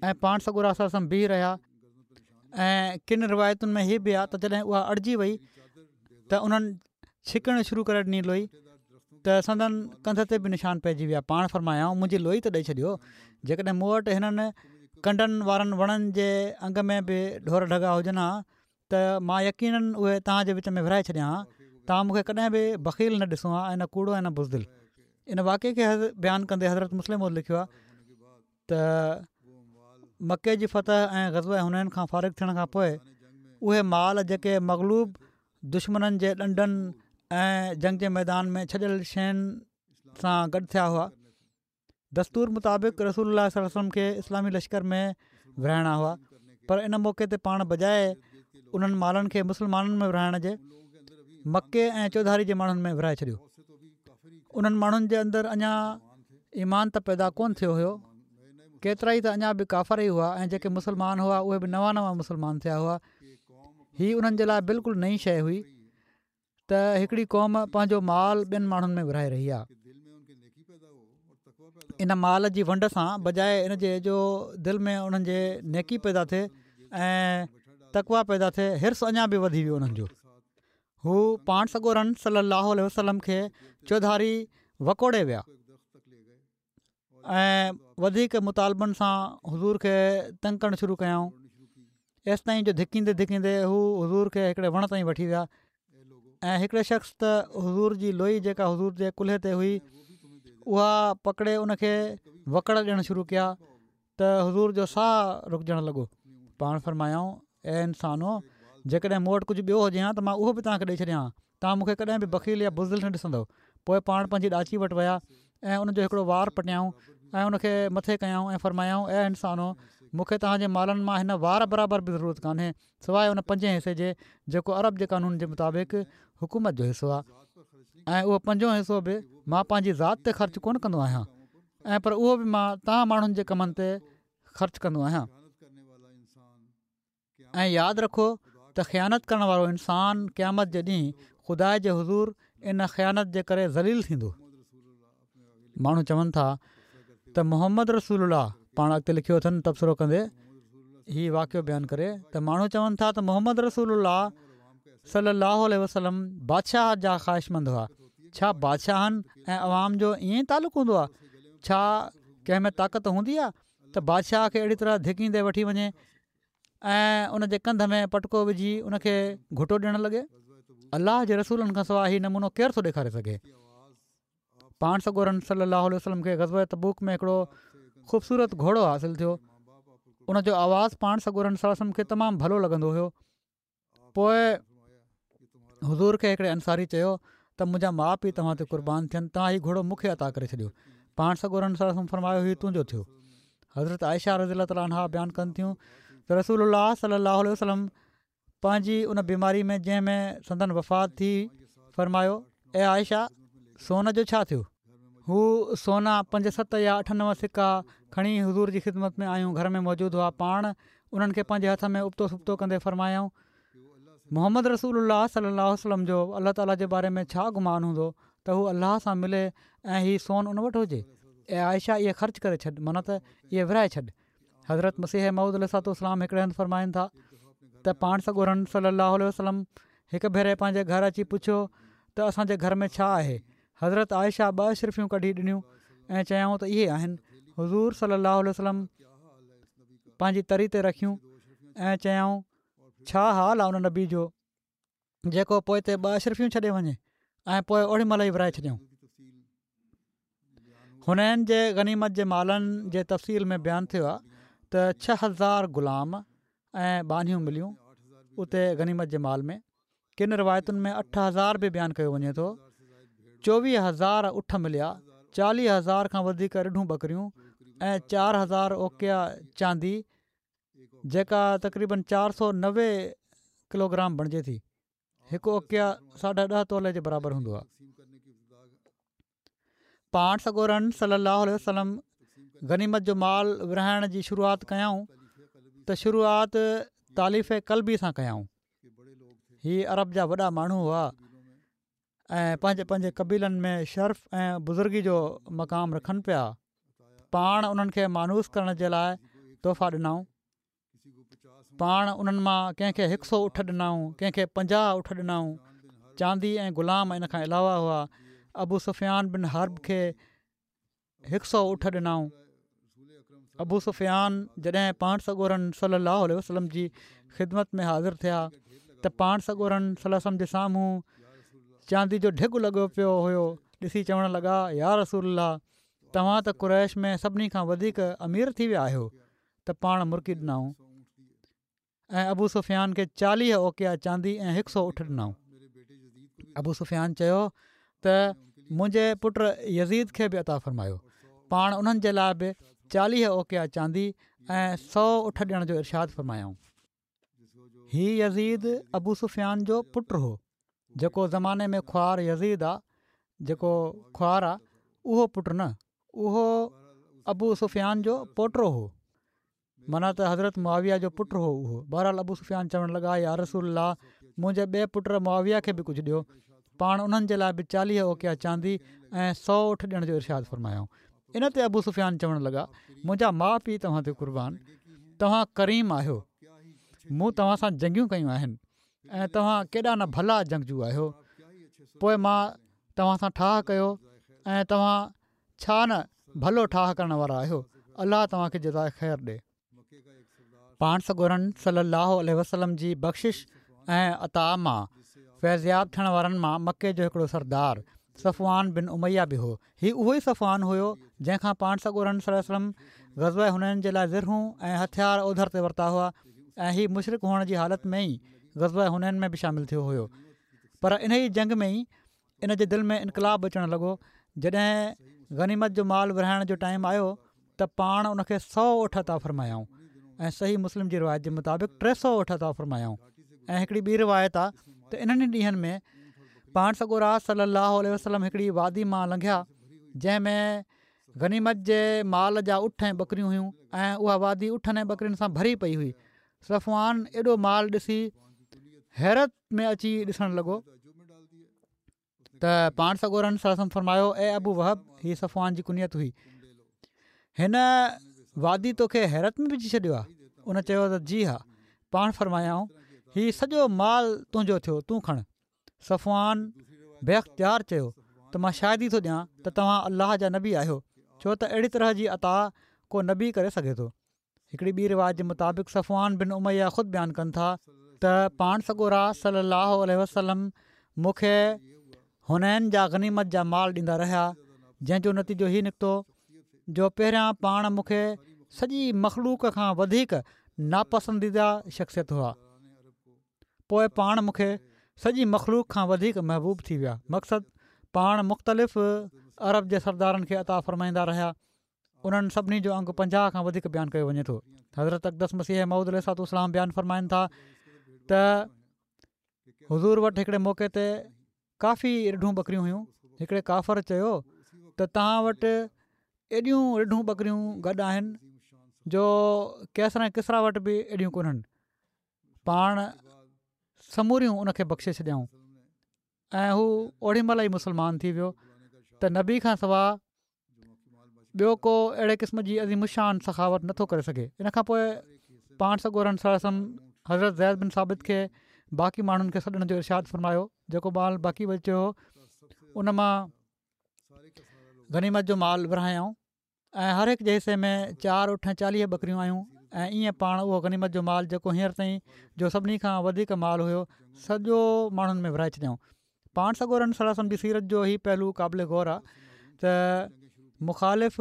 ۽ پاڻ سڳورا صلي الله عليه وسلم بيهي رهيا. ۽ ڪن روايتن ۾ هي به آهي ته جڏهن اها اڙجي وئي ته انهن ڇڪڻ شروع ڪري ڏني لوئي ته سندن ڪنڌ تي به نشان پئجي ويا. پاڻ فرمايائون منهنجي لوئي ته ڏئي ڇڏيو، جيڪڏهن مون وٽ هنن ڪنڊن وارن وڻن جي انگ ۾ به ڍور ڍڳا هجن ها ته مان يقينن اهي توهان جي وچ ۾ ورهائي ڇڏيان ها. توهان مون کي ڪڏهن به بخيل نه ڏسو ها ۽ نه ڪوڙو ۽ نه بزدل. ان واقعي کي بيان ڪندي حضرت مصلح موعود لکيو آهي ته مڪي جي فتح ۽ غزوه حنين کان فارغ ٿيڻ کان پوء اهي مال جيڪي مغلوب دشمنن جي ڏنڊن ۽ جنگ جي ميدان ۾ ڇڏيل شين سان گڏ ٿيا هئا، دستور مطابق رسول الله صلي الله عليه وسلم کي اسلامي لشڪر ۾ ورهائڻا هئا، پر ان موقعي تي پاڻ بجاء انهن مالن کي مسلمانن ۾ ورهائڻ جي مڪي ۽ چوڌاري جي ماڻهن ۾ ورهائي ڇڏيو. انهن ماڻهن جي اندر اڃا ايمان ته پيدا ڪونه ٿيو هيو، ڪيترائي ته اڃا به ڪافر ئي هئا ۽ جيڪي مسلمان هئا اهي به نوان نوان مسلمان ٿيا هئا. هي انهن جي لاء بلڪل نئين شيء هئي ته هڪڙي قوم پنهنجو مال ٻين ماڻهن ۾ ورهائي رهي آهي. ان مال جي ونڊ سان بجاء ان جي جو دل ۾ انهن جي نيڪي پيدا ٿئي ۽ تقويٰ پيدا ٿئي، حرص اڃا به وڌي ويو انهن جو. هو پاڻ سڳورن صلي الله عليه وسلم کي چوڌاري وڪوڙي ويا. ۽ وڌيڪ مطالبن سان حضور کي تنگ ڪرڻ شروع ڪيائون ايستائين جو ڌڪيندي ڌڪيندي هو حضور کي هڪڙي وڻ تائين وٺي ويا ۽ هڪڙي شخص ته حضور جي لوئي جيڪا حضور جي ڪلهي تي هئي اها پڪڙي ان کي وڪڙ ڏيڻ شروع ڪيا ته حضور جو ساهه رڪجڻ لڳو پاڻ فرمايائون اي انسانو! جيڪڏهن مون وٽ ڪجهه ٻيو هجي ها ته مان اهو به توهان کي ڏئي ڇڏيان ها. توهان مون کي ڪڏهن به بخيل يا بزدل نه ڏسندؤ. پوء پاڻ پنهنجي ڏاچي وٽ ويا ۽ ان جو هڪڙو وار پٽيائون ۽ ان کي مٿي ڪيائون ۽ فرمايائون، اي انسانو! مون کي توهان جي مالن مان هن وار برابر به ضرورت ڪانهي، سواء ان پنجين حصي جي جيڪو عرب جي قانون جي مطابق حڪومت جو حصو آهي ۽ اهو پنجون حصو به مان پنهنجي ذات تي خرچ ڪونه ڪندو آهيان ۽ پر اهو به مان توهان ماڻهن جي ڪمن تي خرچ ڪندو آهيان. ۽ ياد رکو ته خيانت ڪرڻ وارو انسان قيامت جي ڏينهن خدا جي حضور ان خيانت جي ڪري ذليل ٿيندو. ماڻهو چون ٿا ته محمد رسول الله پاڻ اڳتي لکيو اٿن تبصرو ڪندي هي واقعو بيان ڪري ته ماڻهو چون ٿا ته محمد رسول الله صلي الله عليه وسلم بادشاهت جا خواهشمند هئا ڇا بادشاهن ۽ عوام جو ائين ئي تعلق هوندو آهي ڇا ڪنهن ۾ طاقت هوندي آهي ته بادشاهه کي اهڙي طرح ڌڪيندي وٺي وڃي ۽ ان جي ڪنڌ ۾ پٽڪو وجهي ان کي گهٽو ڏيڻ لڳي الله جي رسولن کان سواء هي نمونو ڪير ٿو ڏيکاري سگهي پاڻ سڳورن صلي الله عليه وسلم کي غزوه تبوڪ ۾ هڪڙو خوبصورت گهوڙو حاصل ٿيو ان جو آواز پاڻ سڳورن صلي الله عليه وسلم کي تمام ڀلو لڳندو هيو پوء حضور کي هڪڙي انصاري چيو ته منهنجا ماء پيء توهان تي قربان ٿين توهان هي گهوڙو مون کي عطا ڪري ڇڏيو پاڻ سڳورن صلي الله عليه وسلم فرمايو هي تنهنجو ٿيو حضرت عائشه رضي الله تعالٰي عنها بيان ڪن ٿيون ته رسول الله صلي الله عليه وسلم پنهنجي ان بيماري ۾ جنهن ۾ سندن وفات ٿي فرمايو اي عائشه سون جو ڇا ٿيو هو سونا پنج ست يا اٺ نو سڪا کڻي حضور جي خدمت ۾ آيون گهر ۾ موجود هئا پاڻ انهن کي پنهنجي هٿ ۾ ابتو سبتو ڪندي فرمايائون محمد رسول الله صلي الله عليه وسلم جو الله تعالي جي باري ۾ ڇا گمان هوندو ته هو الله سان ملي ۽ هي سون ان وٽ هجي اي عائشه اهي خرچ ڪري ڇڏ معنيٰ ته اهي ورهائي ڇڏ حضرت مسيح موعود عليه الصلوة والسلام هڪڙي هنڌ فرمائن ٿا ته پاڻ سڳورن صلي الله عليه وسلم هڪ ڀيري پنهنجي گهر اچي پڇيو ته اسان جي گهر ۾ ڇا آهي حضرت عائشه ٻه اشرفيون ڪڍي ڏنيون ۽ چيائون ته اهي آهن حضور صلي الله عليه وسلم پنهنجي تري تي رکيون ۽ چيائون ڇا حال آهي ان نبي جو جيڪو پوئتي ٻه اشرفيون ڇڏي وڃي ۽ پوء اوڏي مهل ئي ورهائي ڇڏيائون. حنين جي غنيمت جي مالن جي تفصيل ۾ بيان ٿيو آهي ته ڇهه هزار غلام ۽ ٻانهيون مليون اتي غنيمت جي مال ۾. ڪن روايتن ۾ اٺ هزار به بيان ڪيو وڃي ٿو. چوويهه هزار اٺ مليا، چاليهه هزار کان وڌيڪ رڍون ٻڪريون ۽ چار هزار اوقيا چاندي جيڪا تقريبن چار سؤ نوي ڪلوگرام بڻجي ٿي. هڪ اوقيا ساڍا ڏهه تولي جي برابر هوندو آهي. پاڻ سڳورن صلي الله عليه وسلم غنيمت جو مال ورهائڻ جي شروعات ڪيائون ته شروعات تاليف قلبي سان ڪيائون. هي عرب جا وڏا ماڻهو هئا ۽ پنهنجي پنهنجي قبيلن ۾ شرف ۽ بزرگي جو مقام رکن پيا. پاڻ انهن کي مانوس ڪرڻ جي لاء تحفا ڏنائون. پاڻ انهن مان ڪنهن کي هڪ سؤ اٺ ڏنائون، ڪنهن کي پنجاهه اٺ ڏنائون. چاندي ۽ غلام ان کان علاوه هئا. ابو سفيان بن حرب کي هڪ سؤ اٺ ڏنائون. ابو سفيان جڏهن پاڻ سڳورن صلي الله عليه وسلم جي خدمت ۾ حاضر ٿيا ته پاڻ سڳورن صلي الله عليه وسلم جي سامهون چاندي جو ڍڳ لڳو پيو هيو ڏسي چوڻ لڳا يا رسول الله توهان ته قريش ۾ سڀني کان وڌيڪ امير ٿي ويا آهيو ته پاڻ مرڪي ڏنائون ۽ ابو سفيان کي چاليهه اوقيا چاندي ۽ هڪ سؤ اٺ ڏنائون. ابو سفيان چيو ته منهنجي پٽ يزيد کي به عطا فرمايو. پاڻ انهن جي لاء به چاليهه اوقيا چاندي ۽ سؤ اٺ ڏيڻ جو ارشاد فرمايائون. هي يزيد ابو سفيان جو پٽ هو جيڪو زماني ۾ خوار يزيد آ جيڪو خوار آ اهو پٽ نه اهو ابو سفيان جو پوٽو هو معنيٰ ته حضرت معاويه جو پٽ هو اهو بهرحال ابو سفيان چوڻ لڳا يا رسول الله منهنجي ٻئي پٽ معاويه کي به ڪجهه ڏيو پاڻ انهن جي لاء به چاليهه اوقيا چاندي ۽ سؤ اٺ ڏيڻ جو ارشاد فرمايائون ان تي ابو سفيان چوڻ لڳا منهنجا ماء پيء توهان تي قربان توهان ڪريم آهيو مون توهان سان جنگيون ڪيون آهن ۽ توهان ڪيڏا نه ڀلا جنگجو آهيو پوء مان توهان سان ٺاهه ڪيو ۽ توهان ڇا نه ڀلو ٺاهه ڪرڻ وارا آهيو، الله توهان کي جزاء خير ڏي. پاڻ سڳورن صلّي اللّٰه عليه وسلّم جي بخشش ۽ عطا مان فيضياب ٿيڻ وارن مان مڪي جو هڪڙو سردار صفوان بن اميه به هو. هي اهو ئي صفوان هيو جنهن کان پاڻ سڳورن صلّي اللّٰه عليه وسلّم غزوه حنين جي لاء زرهون ۽ هٿيار اوڌر تي ورتا هئا ۽ هي مشرڪ هئڻ جي حالت ۾ ئي غزوه حنين ۾ به شامل ٿيو هيو پر انهي جنگ ۾ ئي ان جي دل ۾ انقلاب اچڻ لڳو جڏهن غنيمت جو مال ورهائڻ جو ٽائيم آيو ته پاڻ ان کي سؤ اٺ عطا فرمايائون ۽ صحيح مسلم جي روايت جي مطابق ٽي سؤ اٺ عطا فرمايائون ۽ هڪڙي ٻي روايت آ ته انهن ئي ڏينهن ۾ پاڻ سڳورا صلي الله عليه وسلم هڪڙي وادي مان لنگهيا جنهن ۾ غنيمت جي مال جا اٺ ۽ ٻڪريون هيون ۽ اها وادي اٺن ۽ ٻڪرين سان ڀري پئي هئي صفوان ايڏو مال ڏسي حيرت ۾ اچي ڏسڻ لڳو ته پاڻ سڳورن صلي الله عليه وسلم فرمايو اي ابو وهب هي صفوان جي ڪنيت هئي هن وادي توکي حيرت ۾ وجهي ڇڏيو آهي ان چيو ته جي ها پاڻ فرمايائون هي سڄو مال تنهنجو ٿيو تون کڻ صفوان بي اختيار چيو ته مان شاهدي ٿو ڏيان ته توهان الله جا نبي آهيو ڇو ته اهڙي طرح جي عطا ڪو نبي ڪري سگهي ٿو هڪڙي ٻي روايت جي مطابق صفوان بن اميه خود بيان ڪن ٿا ته پاڻ سڳورا صلي الله عليه وسلم مون کي حنين جا غنيمت جا مال ڏيندا رهيا جنهن جو نتيجو هي نڪتو جو پهريان پاڻ مون کي سڄي مخلوق کان وڌيڪ ناپسنديده شخصيت هئا پوء پاڻ مون کي سڄي مخلوق کان وڌيڪ محبوب ٿي ويا مقصد پاڻ مختلف عرب جي سردارن کي عطا فرمائيندا رهيا انهن سڀني جو انگ پنجاهه کان وڌيڪ بيان ڪيو وڃي ٿو. حضرت اقدس مسيح موعود عليه الصلوة والسلام بيان فرمائن ٿا ته حضور وٽ هڪڙي موقعي تي ڪافي رڍون ٻڪريون هيون هڪڙي ڪافر چيو ته توهان وٽ ايڏيون رڍون ٻڪريون گڏ آهن جو قيصر ۽ ڪسريٰ وٽ به ايڏيون ڪونهن پاڻ سموريون ان کي بخشي ڇڏيائون ۽ هو اوڏي مهل ئي مسلمان ٿي ويو ته نبي کان سواء ٻيو ڪو اهڙي قسم جي عظيم الشان سخاوت نٿو ڪري سگهي ان کان پوء پاڻ سڳورن صلي الله عليه وسلم حضرت زيد بن ثابت کي باقي ماڻهن کي سڏڻ جو ارشاد فرمايو جيڪو مال باقي بچيو هو ان مان غنيمت جو مال ورهايائون ۽ هر هڪ جي حصي ۾ چار اٺ ۽ چاليهه ٻڪريون آيون ۽ ائين پاڻ اهو غنيمت جو مال جيڪو هينئر تائين جو سڀني کان وڌيڪ مال هيو سڄو ماڻهن ۾ ورهائي ڇڏيائون. پاڻ سڳورن صلي الله عليه وسلم جي سيرت جو هي پهلو قابل غور آهي ته مخالف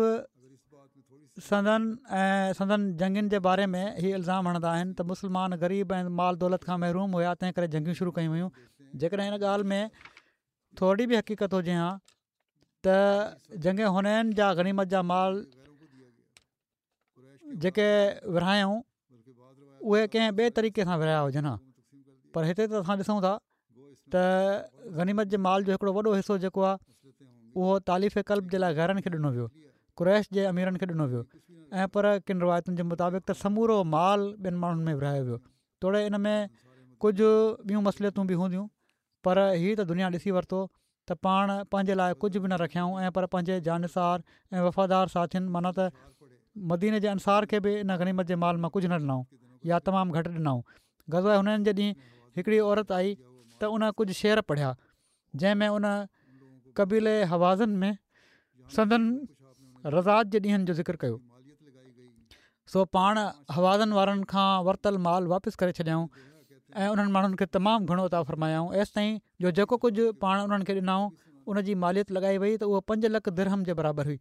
سندن ۽ سندن جنگين جي باري ۾ هي الزام هڻندا آهن ته مسلمان غريب ۽ مال دولت کان محروم هيا، تنهن ڪري جنگيون شروع ڪيون ويون. جيڪڏهن ان ڳالهه ۾ ٿورڙي به حقيقت هجي ها ته جنگ حنين جا غنيمت جا مال جيڪي ورهايائون اهي ڪنهن ٻئي طريقي سان ورهايا هجن ها، پر هتي ته اسان ڏسون ٿا ته غنيمت جي مال جو هڪڙو وڏو حصو جيڪو آهي اهو تاليف قلب جي لاء غيرن کي ڏنو ويو، قريش جي اميرن کي ڏنو ويو ۽ پر ڪن روايتن جي مطابق ته سمورو مال ٻين ماڻهن ۾ ورهايو ويو. توڙي ان ۾ ڪجهه ٻيون مصلحتون به هونديون، پر هي ته دنيا ڏسي ورتو ته پاڻ پنهنجي لاء ڪجهه به نه رکيائون ۽ پر پنهنجي جانثار ۽ وفادار ساٿين معنيٰ ته مديني جي انصار کي به ان غنيمت جي مال مان ڪجهه نه ڏنائون يا تمام گهٽ ڏنائون. غزوه حنين جي ڏينهن هڪڙي عورت آئي ته ان ڪجهه شعر پڙهيا جنهن ۾ ان قبيلي هوازن ۾ سندن رضاعت جي ڏينهن جو ذڪر ڪيو. سو پاڻ هوازن وارن کان ورتل مال واپس ڪري ڇڏيائون ۽ انهن ماڻهن کي تمام گهڻو عطا فرمايائون، ايستائين جو جيڪو ڪجهه پاڻ انهن کي ڏنائون ان جي ماليت لڳائي وئي ته اهو پنج لک درهم جي برابر هئي.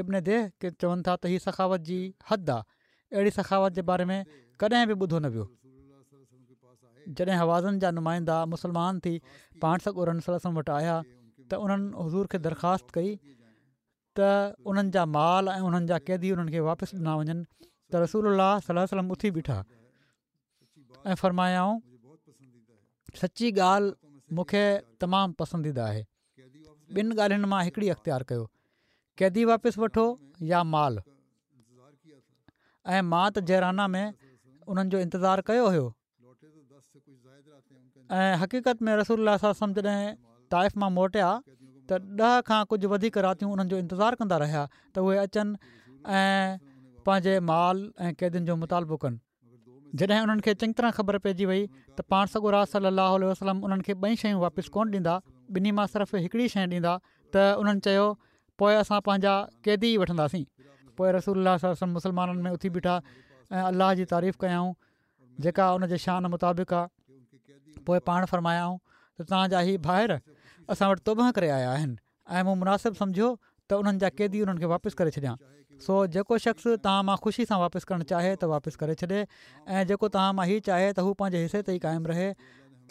ابن ديه چون ٿا ته هي سخاوت جي حد آ، اهڙي سخاوت جي باري ۾ ڪڏهن به ٻڌو نه ويو. جڏهن هوازن جا نمائندا مسلمان ٿي پاڻ سڳورن صلي الله عليه وسلم وٽ آيا ته انهن حضور کي درخواست ڪئي ته انهن جا مال ۽ انهن جا قيدي انهن کي واپس ڏنا وڃن ته رسول الله صلي الله عليه وسلم اٿي بيٺا ۽ فرمايائون سچي ڳالهه مون کي تمام پسنديده آهي، ٻن ڳالهين مان هڪڙي اختيار ڪيو، قيدي واپس وٺو يا مال. ۽ مان ته جعرانه ۾ انهن جو انتظار ڪيو هيو. ۽ حقيقت ۾ رسول الله صلي الله عليه وسلم جڏهن طائف مان موٽيا ته ڏهه کان ڪجهه وڌيڪ راتيون انهن جو انتظار ڪندا رهيا ته اهي اچن ۽ پنهنجي مال ۽ قيدين جو مطالبو ڪن. جڏهن انهن کي چڱي طرح خبر پئجي وئي ته پاڻ سڳورا صلي الله عليه وسلم انهن کي ٻئي شيون واپس ڪونه ڏيندا، ٻنهي مان صرف هڪڙي شيء ڏيندا ته انهن چيو پوء اسان پنهنجا قيدي ئي وٺنداسين. پوء رسول الله صلي الله عليه وسلم مسلمانن ۾ اٿي بيٺا ۽ الله جي تعريف ڪيائون جيڪا ان جي شان مطابق آ. پوء پاڻ فرمايائون ته توهان جا هي ڀائر اسان وٽ توبهه ڪري آيا آهن ۽ مون مناسب سمجهيو ته انهن جا قيدي انهن کي واپس ڪري ڇڏيان سو جيڪو شخص توهان مان خوشي سان واپس ڪرڻ چاهي ته واپس ڪري ڇڏي ۽ جيڪو توهان مان هي چاهي ته هو پنهنجي حصي تي ئي قائم رهي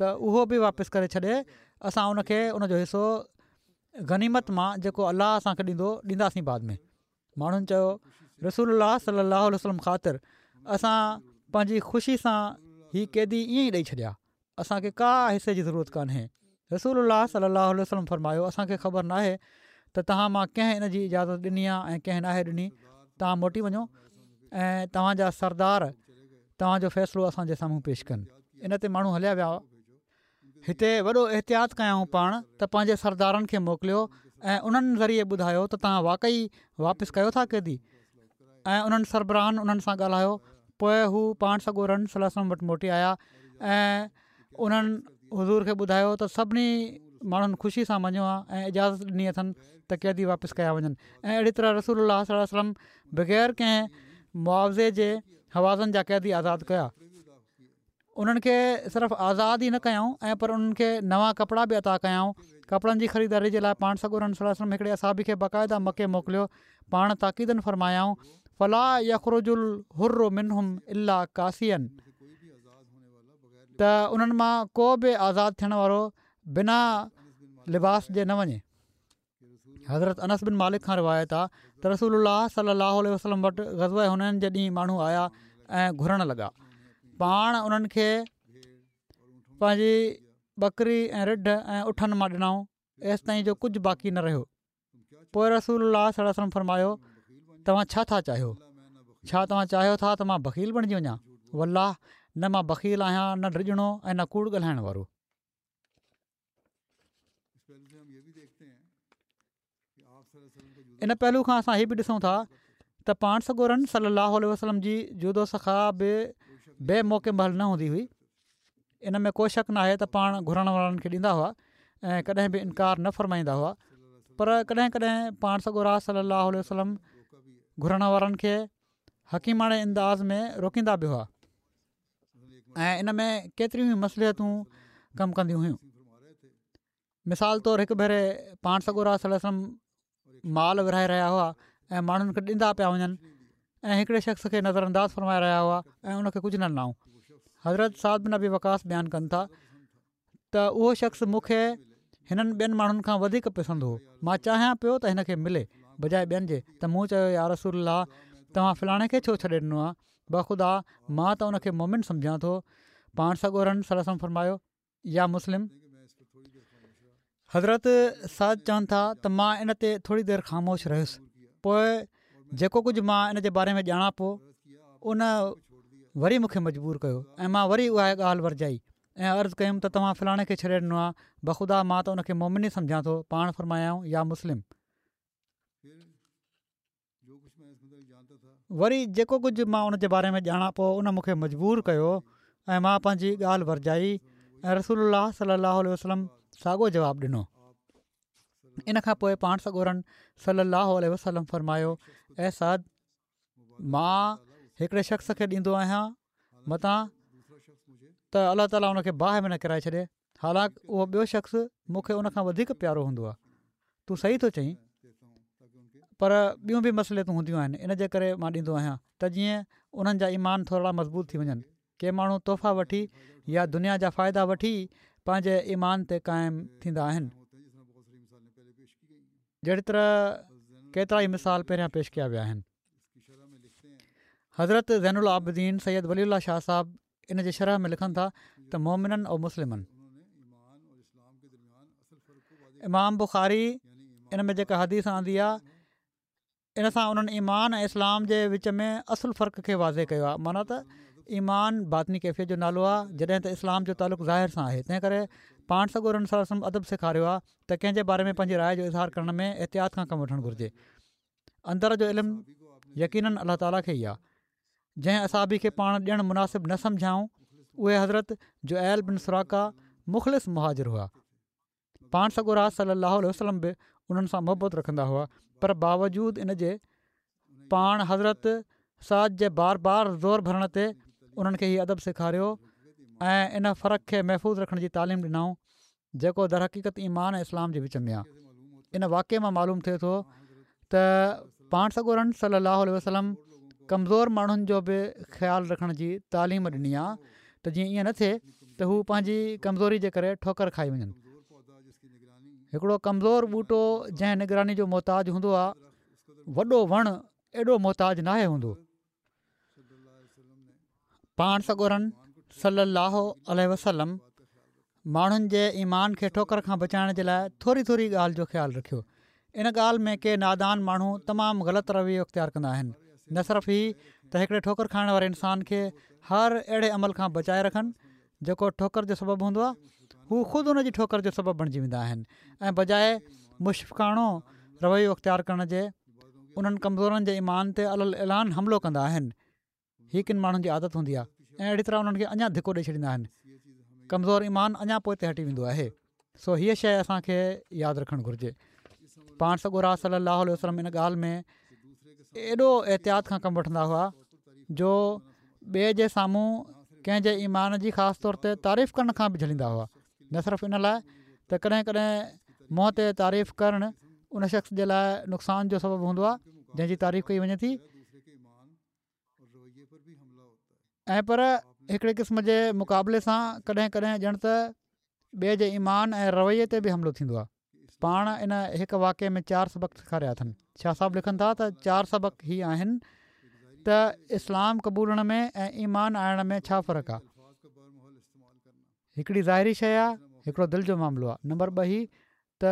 ته اهو به واپس ڪري ڇڏي اسان ان کي ان جو حصو غنيمت مان جيڪو الله اسان کي ڏيندو ڏينداسين بعد ۾. ماڻهن چيو، رسول الله صلي الله عليه وسلم خاطر اسان پنهنجي خوشي سان هي قيدي ائين ئي ڏئي ڇڏيا، اسان کي ڪا حصي جي ضرورت ڪانهي. رسول الله صلي الله عليه وسلم فرمايو، اسان کي خبر ناهي ته توهان مان ڪنهن ان جي اجازت ڏني آ ۽ ڪنهن ناهي ڏني، توهان موٽي وڃو ۽ توهان جا سردار توهان جو فيصلو اسان جي سامهون پيش ڪن. ان تي ماڻهو هليا ويا. هتي وڏو احتياط ڪيائون پاڻ ته پنهنجي سردارن کي موڪليو ۽ انهن ذريعي ٻڌايو ته توهان واقعي واپس ڪيو ٿا قيدي ۽ انهن سربراهن انهن سان ڳالهايو پوء هو پاڻ سڳورن صلي الله عليه وسلم وٽ موٽي آيا ۽ انهن حضور کي ٻڌايو ته سڀني ماڻهن خوشي سان مڃيو آهي ۽ اجازت ڏني اٿن ته قيدي واپس ڪيا وڃن ۽ اهڙي طرح رسول الله صلي الله عليه وسلم بغير ڪنهن معاوضي جي هوازن جا قيدي آزاد ڪيا. انهن کي صرف آزاد ئي نه ڪيائون ۽ پر انهن کي نوان ڪپڙا به عطا ڪيائون. ڪپڙن جي خريداري جي لاء پاڻ سڳورن صلي الله عليه وسلم هڪڙي اصحابي کي باقاعده مڪي موڪليو. پاڻ تاڪيداً فرمايائون، فلا يخرج الحر منهم الا ڪاسيا ته انهن مان ڪو به آزاد ٿيڻ وارو بنا لباس جي نه وڃي. حضرت انس بن مالڪ کان روايت آ ته رسول الله صلي الله عليه وسلم وٽ غزوه حنين جي ڏينهن ماڻهو آيا ۽ گهرڻ لڳا پاڻ انهن کي پنهنجي ٻڪري ۽ رڍ ۽ اٺن مان ڏنائون ايستائين جو ڪجهه باقي نه رهيو پوء رسول الله صلي الله عليه وسلم فرمايو توهان ڇا ٿا چاهيو ڇا توهان چاهيو ٿا ته مان بخيل بڻجي وڃان والله نه مان بخيل آهيان نه ڊڄڻو ۽ نه ڪوڙ ڳالهائڻ وارو ان پهلو کان اسان هي به ڏسون ٿا ته پاڻ سڳورن صلي الله عليه وسلم جي جود و سخا به بي موقعي مهل نه هوندي هئي ان ۾ ڪو شڪ ناهي ته پاڻ گهرڻ وارن کي ڏيندا هئا ۽ ڪڏهن به انڪار نه فرمائيندا هئا پر ڪڏهن ڪڏهن پاڻ سڳورا صلي الله عليه وسلم گهرڻ وارن کي حڪيماڻي انداز ۾ روڪيندا به هئا ۽ ان ۾ ڪيتريون ئي مصلحتون ڪم ڪنديون هيون. مثال طور هڪ ڀيري پاڻ سڳورا صلي الله عليه وسلم مال ورهائي رهيا هئا ۽ ماڻهن کي ڏيندا پيا وڃن ۽ هڪڙي شخص کي نظر انداز فرمائي رهيا هئا ۽ ان کي ڪجهه نه ڏنائون. حضرت سعد بن ابي وقاص بيان ڪن ٿا ته اهو شخص مون کي هنن ٻين ماڻهن کان وڌيڪ پسند هو، مان چاهيان پيو ته هن کي ملي بجاء ٻين جي، ته مون چيو يا رسول الله توهان فلاڻي کي ڇو ڇڏي ڏنو آهي، بخدا مان ته ان کي مومن سمجهان ٿو. پاڻ سڳورن صلي الله عليه وسلم فرمايو يا مسلم! حضرت سعد چون ٿا ته مان ان تي ٿوري دير خاموش رهيس، پوء جيڪو ڪجهه مان ان جي باري ۾ ڄاڻان پيو ان وري مون کي مجبور ڪيو ۽ مان وري اها ڳالهه ورجائي ۽ عرض ڪيم ته توهان فلاڻي کي ڇڏي ڏنو آهي، بخدا مان ته ان کي مومن ئي سمجهان ٿو. پاڻ فرمايائون يا مسلم! وري جيڪو ڪجهه مان ان جي باري ۾ ڄاڻان پيو ان مون کي مجبور ڪيو ۽ مان پنهنجي ڳالهه ورجائي ۽ رسول الله صلي الله عليه وسلم ساڳو جواب ڏنو. ان کان پوء پاڻ سڳورن صلي الله عليه وسلم فرمايو اي سعد! مان هڪڙي شخص کي ڏيندو آهيان متان ته الله تعاليٰ ان کي باهه ۾ نه ڪيرائي ڇڏي حالانڪ اهو ٻيو شخص مون کي ان کان وڌيڪ پيارو هوندو آهي. تون صحيح ٿو چئين پر ٻيون به مصلحتون هونديون آهن ان جي ڪري مان ڏيندو آهيان ته جيئن انهن جا ايمان ٿورڙا مضبوط ٿي وڃن. ڪي ماڻهو تحفا وٺي يا دنيا جا فائدا وٺي پنهنجي ايمان تي قائم ٿيندا آهن. جهڙي طرح ڪيترائي مثال پهريان پيش ڪيا ويا آهن. حضرت زين العابدين سيد ولي الله شاهه صاحب ان جي شرح ۾ لکن ٿا ته مومناً او مسلماً. امام بخاري ان ۾ جيڪا حديث آندي آهي ان سان انهن ايمان ۽ اسلام جي وچ ۾ اصل فرق کي واضح ڪيو آهي معنيٰ ته ايمان باطني ڪيفيت جو نالو آهي جڏهن ته اسلام جو تعلق ظاهر سان آهي تنهن ڪري پاڻ سڳورن صلي الله عليه وسلم ادب سيکاريو آهي ته ڪنهن جي باري ۾ پنهنجي راء جو اظهار ڪرڻ ۾ احتياط کان ڪم وٺڻ گهرجي اندر جو علم يقيناً الله تعاليٰ کي ئي آهي جنهن اصحابي کي پاڻ ڏيڻ مناسب نه سمجهيائون اهي حضرت جعيل بن سراقه مخلص مهاجر هئا. پاڻ سڳورا صلي الله عليه وسلم به انهن سان محبت رکندا هئا پر باوجود ان جي پاڻ حضرت سعد جي بار بار زور ڀرڻ تي انهن کي هي ادب سيکاريو ۽ ان فرق کي محفوظ رکڻ جي تعليم ڏنائون جيڪو درحقيقت ايمان ۽ اسلام جي وچ ۾ آهي. ان واقعي مان معلوم ٿئي ٿو ته پاڻ سڳورن صلي الله عليه وسلم ڪمزور ماڻهن جو به خيال رکڻ جي تعليم ڏني آهي ته جيئن ائين نه ٿئي ته هو پنهنجي ڪمزوري جي ڪري ٺوڪر کائي وڃن. هڪڙو ڪمزور ٻوٽو جنهن نگراني جو محتاج هوندو آهي وڏو وڻ ايڏو محتاج ناهي هوندو. پاڻ سڳورن صلّي اللّٰه عليه وسلّم ماڻهن جي ايمان کي ٺوڪر کان بچائڻ جي لاء ٿوري ٿوري ڳالهه جو خيال رکيو. ان ڳالهه ۾ ڪي نادان ماڻهو تمام غلط رويو اختيار ڪندا آهن. نه صرف هي ته هڪڙي ٺوڪر کائڻ واري انسان کي هر اهڙي عمل کان بچائي رکن جيڪو ٺوڪر جو سبب هوندو آهي، هو خود ان جي ٺوڪر جو سبب بڻجي ويندا آهن ۽ بجاء مشفقاڻو رويو اختيار ڪرڻ جي انهن ڪمزورن جي ايمان تي علي الاعلان حملو ڪندا آهن. هي ڪن ماڻهن جي عادت هوندي آهي ۽ اهڙي طرح انهن کي اڃا ڌڪو ڏئي ڇڏيندا آهن. ڪمزور ايمان اڃا پوئتي هٽي ويندو آهي. سو هيء شيء اسان کي ياد رکڻ گهرجي. پاڻ سڳورا صلي الله عليه وسلم ان ڳالهه ۾ ايڏو احتياط کان ڪم وٺندا هئا جو ٻئي جي سامهون ڪنهن جي ايمان جي خاص طور تي تعريف ڪرڻ کان به جهليندا هئا. نه صرف ان لاء ته ڪڏهن ڪڏهن منهن تي تعريف ڪرڻ ان شخص جي لاء نقصان جو سبب هوندو آهي جنهن جي تعريف ڪئي وڃي ٿي ۽ پر هڪڙي قسم جي مقابلي سان ڪڏهن ڪڏهن ڄڻ ته ٻئي جي ايمان ۽ رويي تي به حملو ٿيندو آهي. پاڻ ان هڪ واقعي ۾ چار سبق سيکاريا اٿن. شاهه صاحب لکن ٿا ته چار سبق هي آهن ته اسلام قبولڻ ۾ ۽ ايمان آڻڻ ۾ ڇا فرق آهي؟ هڪڙي ظاهري شيء آهي، هڪڙو دل جو معاملو آهي. نمبر ٻه هي ته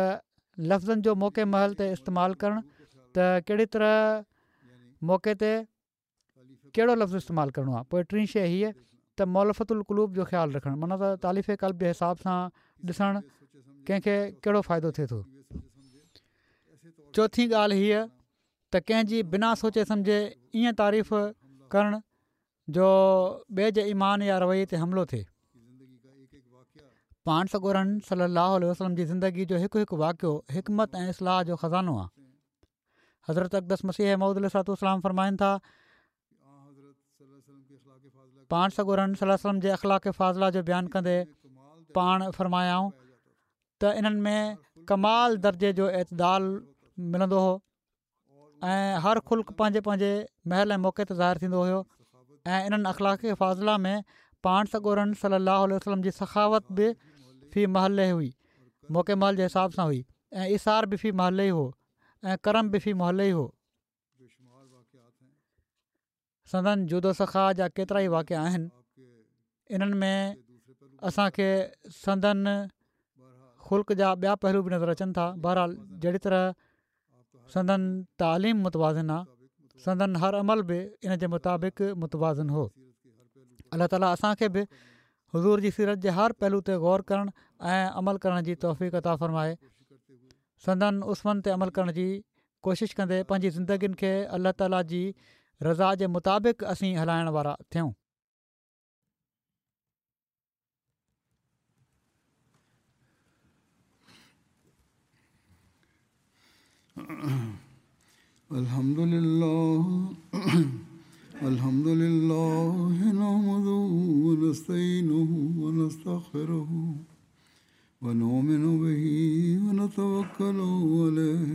لفظن جو موقعي محل تي استعمال ڪرڻ ته ڪهڙي طرح موقعي تي ڪهڙو لفظ استعمال ڪرڻو آهي. پوء ٽين شيء هيء ته مولفة القلوب جو خيال رکڻ معنيٰ ته تاليف قلب جي حساب سان ڏسڻ ڪنهن کي ڪهڙو فائدو ٿئي ٿو. چوٿين ڳالهه هيء ته ڪنهن جي بنا سوچي سمجهي ائين تعريف ڪرڻ جو ٻئي جي ايمان يا رويي تي حملو ٿئي. پاڻ سڳورن صلّي اللّٰه عليه وسلّم جي زندگي جو هڪ هڪ واقعو حڪمت ۽ اصلاح جو خزانو آهي. حضرت اقدس مسيح موعود عليه الصلوة والسلام فرمائن ٿا پاڻ سڳورن صلي الله عليه وسلم جي اخلاق فاضله جو بيان ڪندي پاڻ فرمايائون ته انهن ۾ ڪمال درجي جو اعتدال ملندو هو ۽ هر خلق پنهنجي پنهنجي محل ۽ موقعي تي ظاهر ٿيندو هيو ۽ انهن اخلاق فاضله ۾ پاڻ سڳورن صلي الله عليه وسلم جي سخاوت به في محله هئي، موقعي محل جي حساب سان هئي، ۽ ايثار به في محله هو ۽ ڪرم به في محله هو. سندن جود و سخا جا ڪيترائي واقعا آهن. انهن ۾ اسان کي سندن خلق جا ٻيا پهلو به نظر اچن ٿا. بهرحال جهڙي طرح سندن تعليم متوازن آ، سندن هر عمل به ان جي مطابق متوازن هو. الله تعالي اسان کي به حضور جي سيرت جي هر پهلو تي غور ڪرڻ ۽ عمل ڪرڻ جي توفيق عطا فرمائي. سندن اسون تي عمل ڪرڻ جي ڪوشش ڪندي پنهنجي زندگين کي الله تعالي جي رضا جي مطابق اسين هلائڻ وارا ٿيون. الحمد لله الحمد لله نحمده ونستعينه ونستغفره ونؤمن به ونتوكل عليه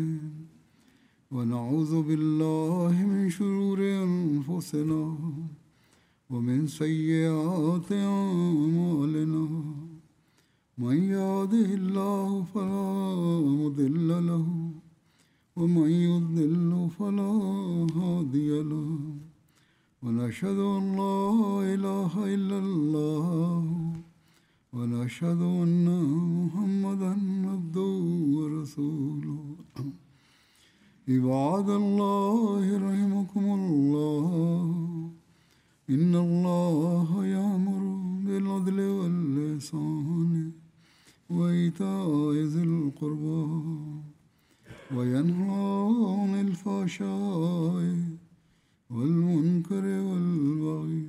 ونعوذ بالله من شرور أنفسنا ومن سيئات أعمالنا من يهده الله فلا مضل له ومن يضلل فلا هادي له ونشهد أن لا إله إلا الله ونشهد أن محمدا عبده ورسوله. عباد الله رحمكم الله، إن الله يأمر بالعدل والإحسان وإيتاء ذي القربى وينهى عن الفحشاء والمنكر والبغي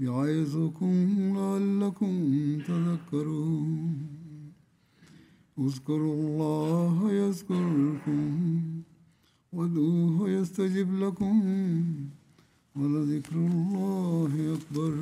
يعظكم لعلكم تذكرون. اذكروا الله يذكركم وادعوه يستجب لكم ولذكر الله أكبر.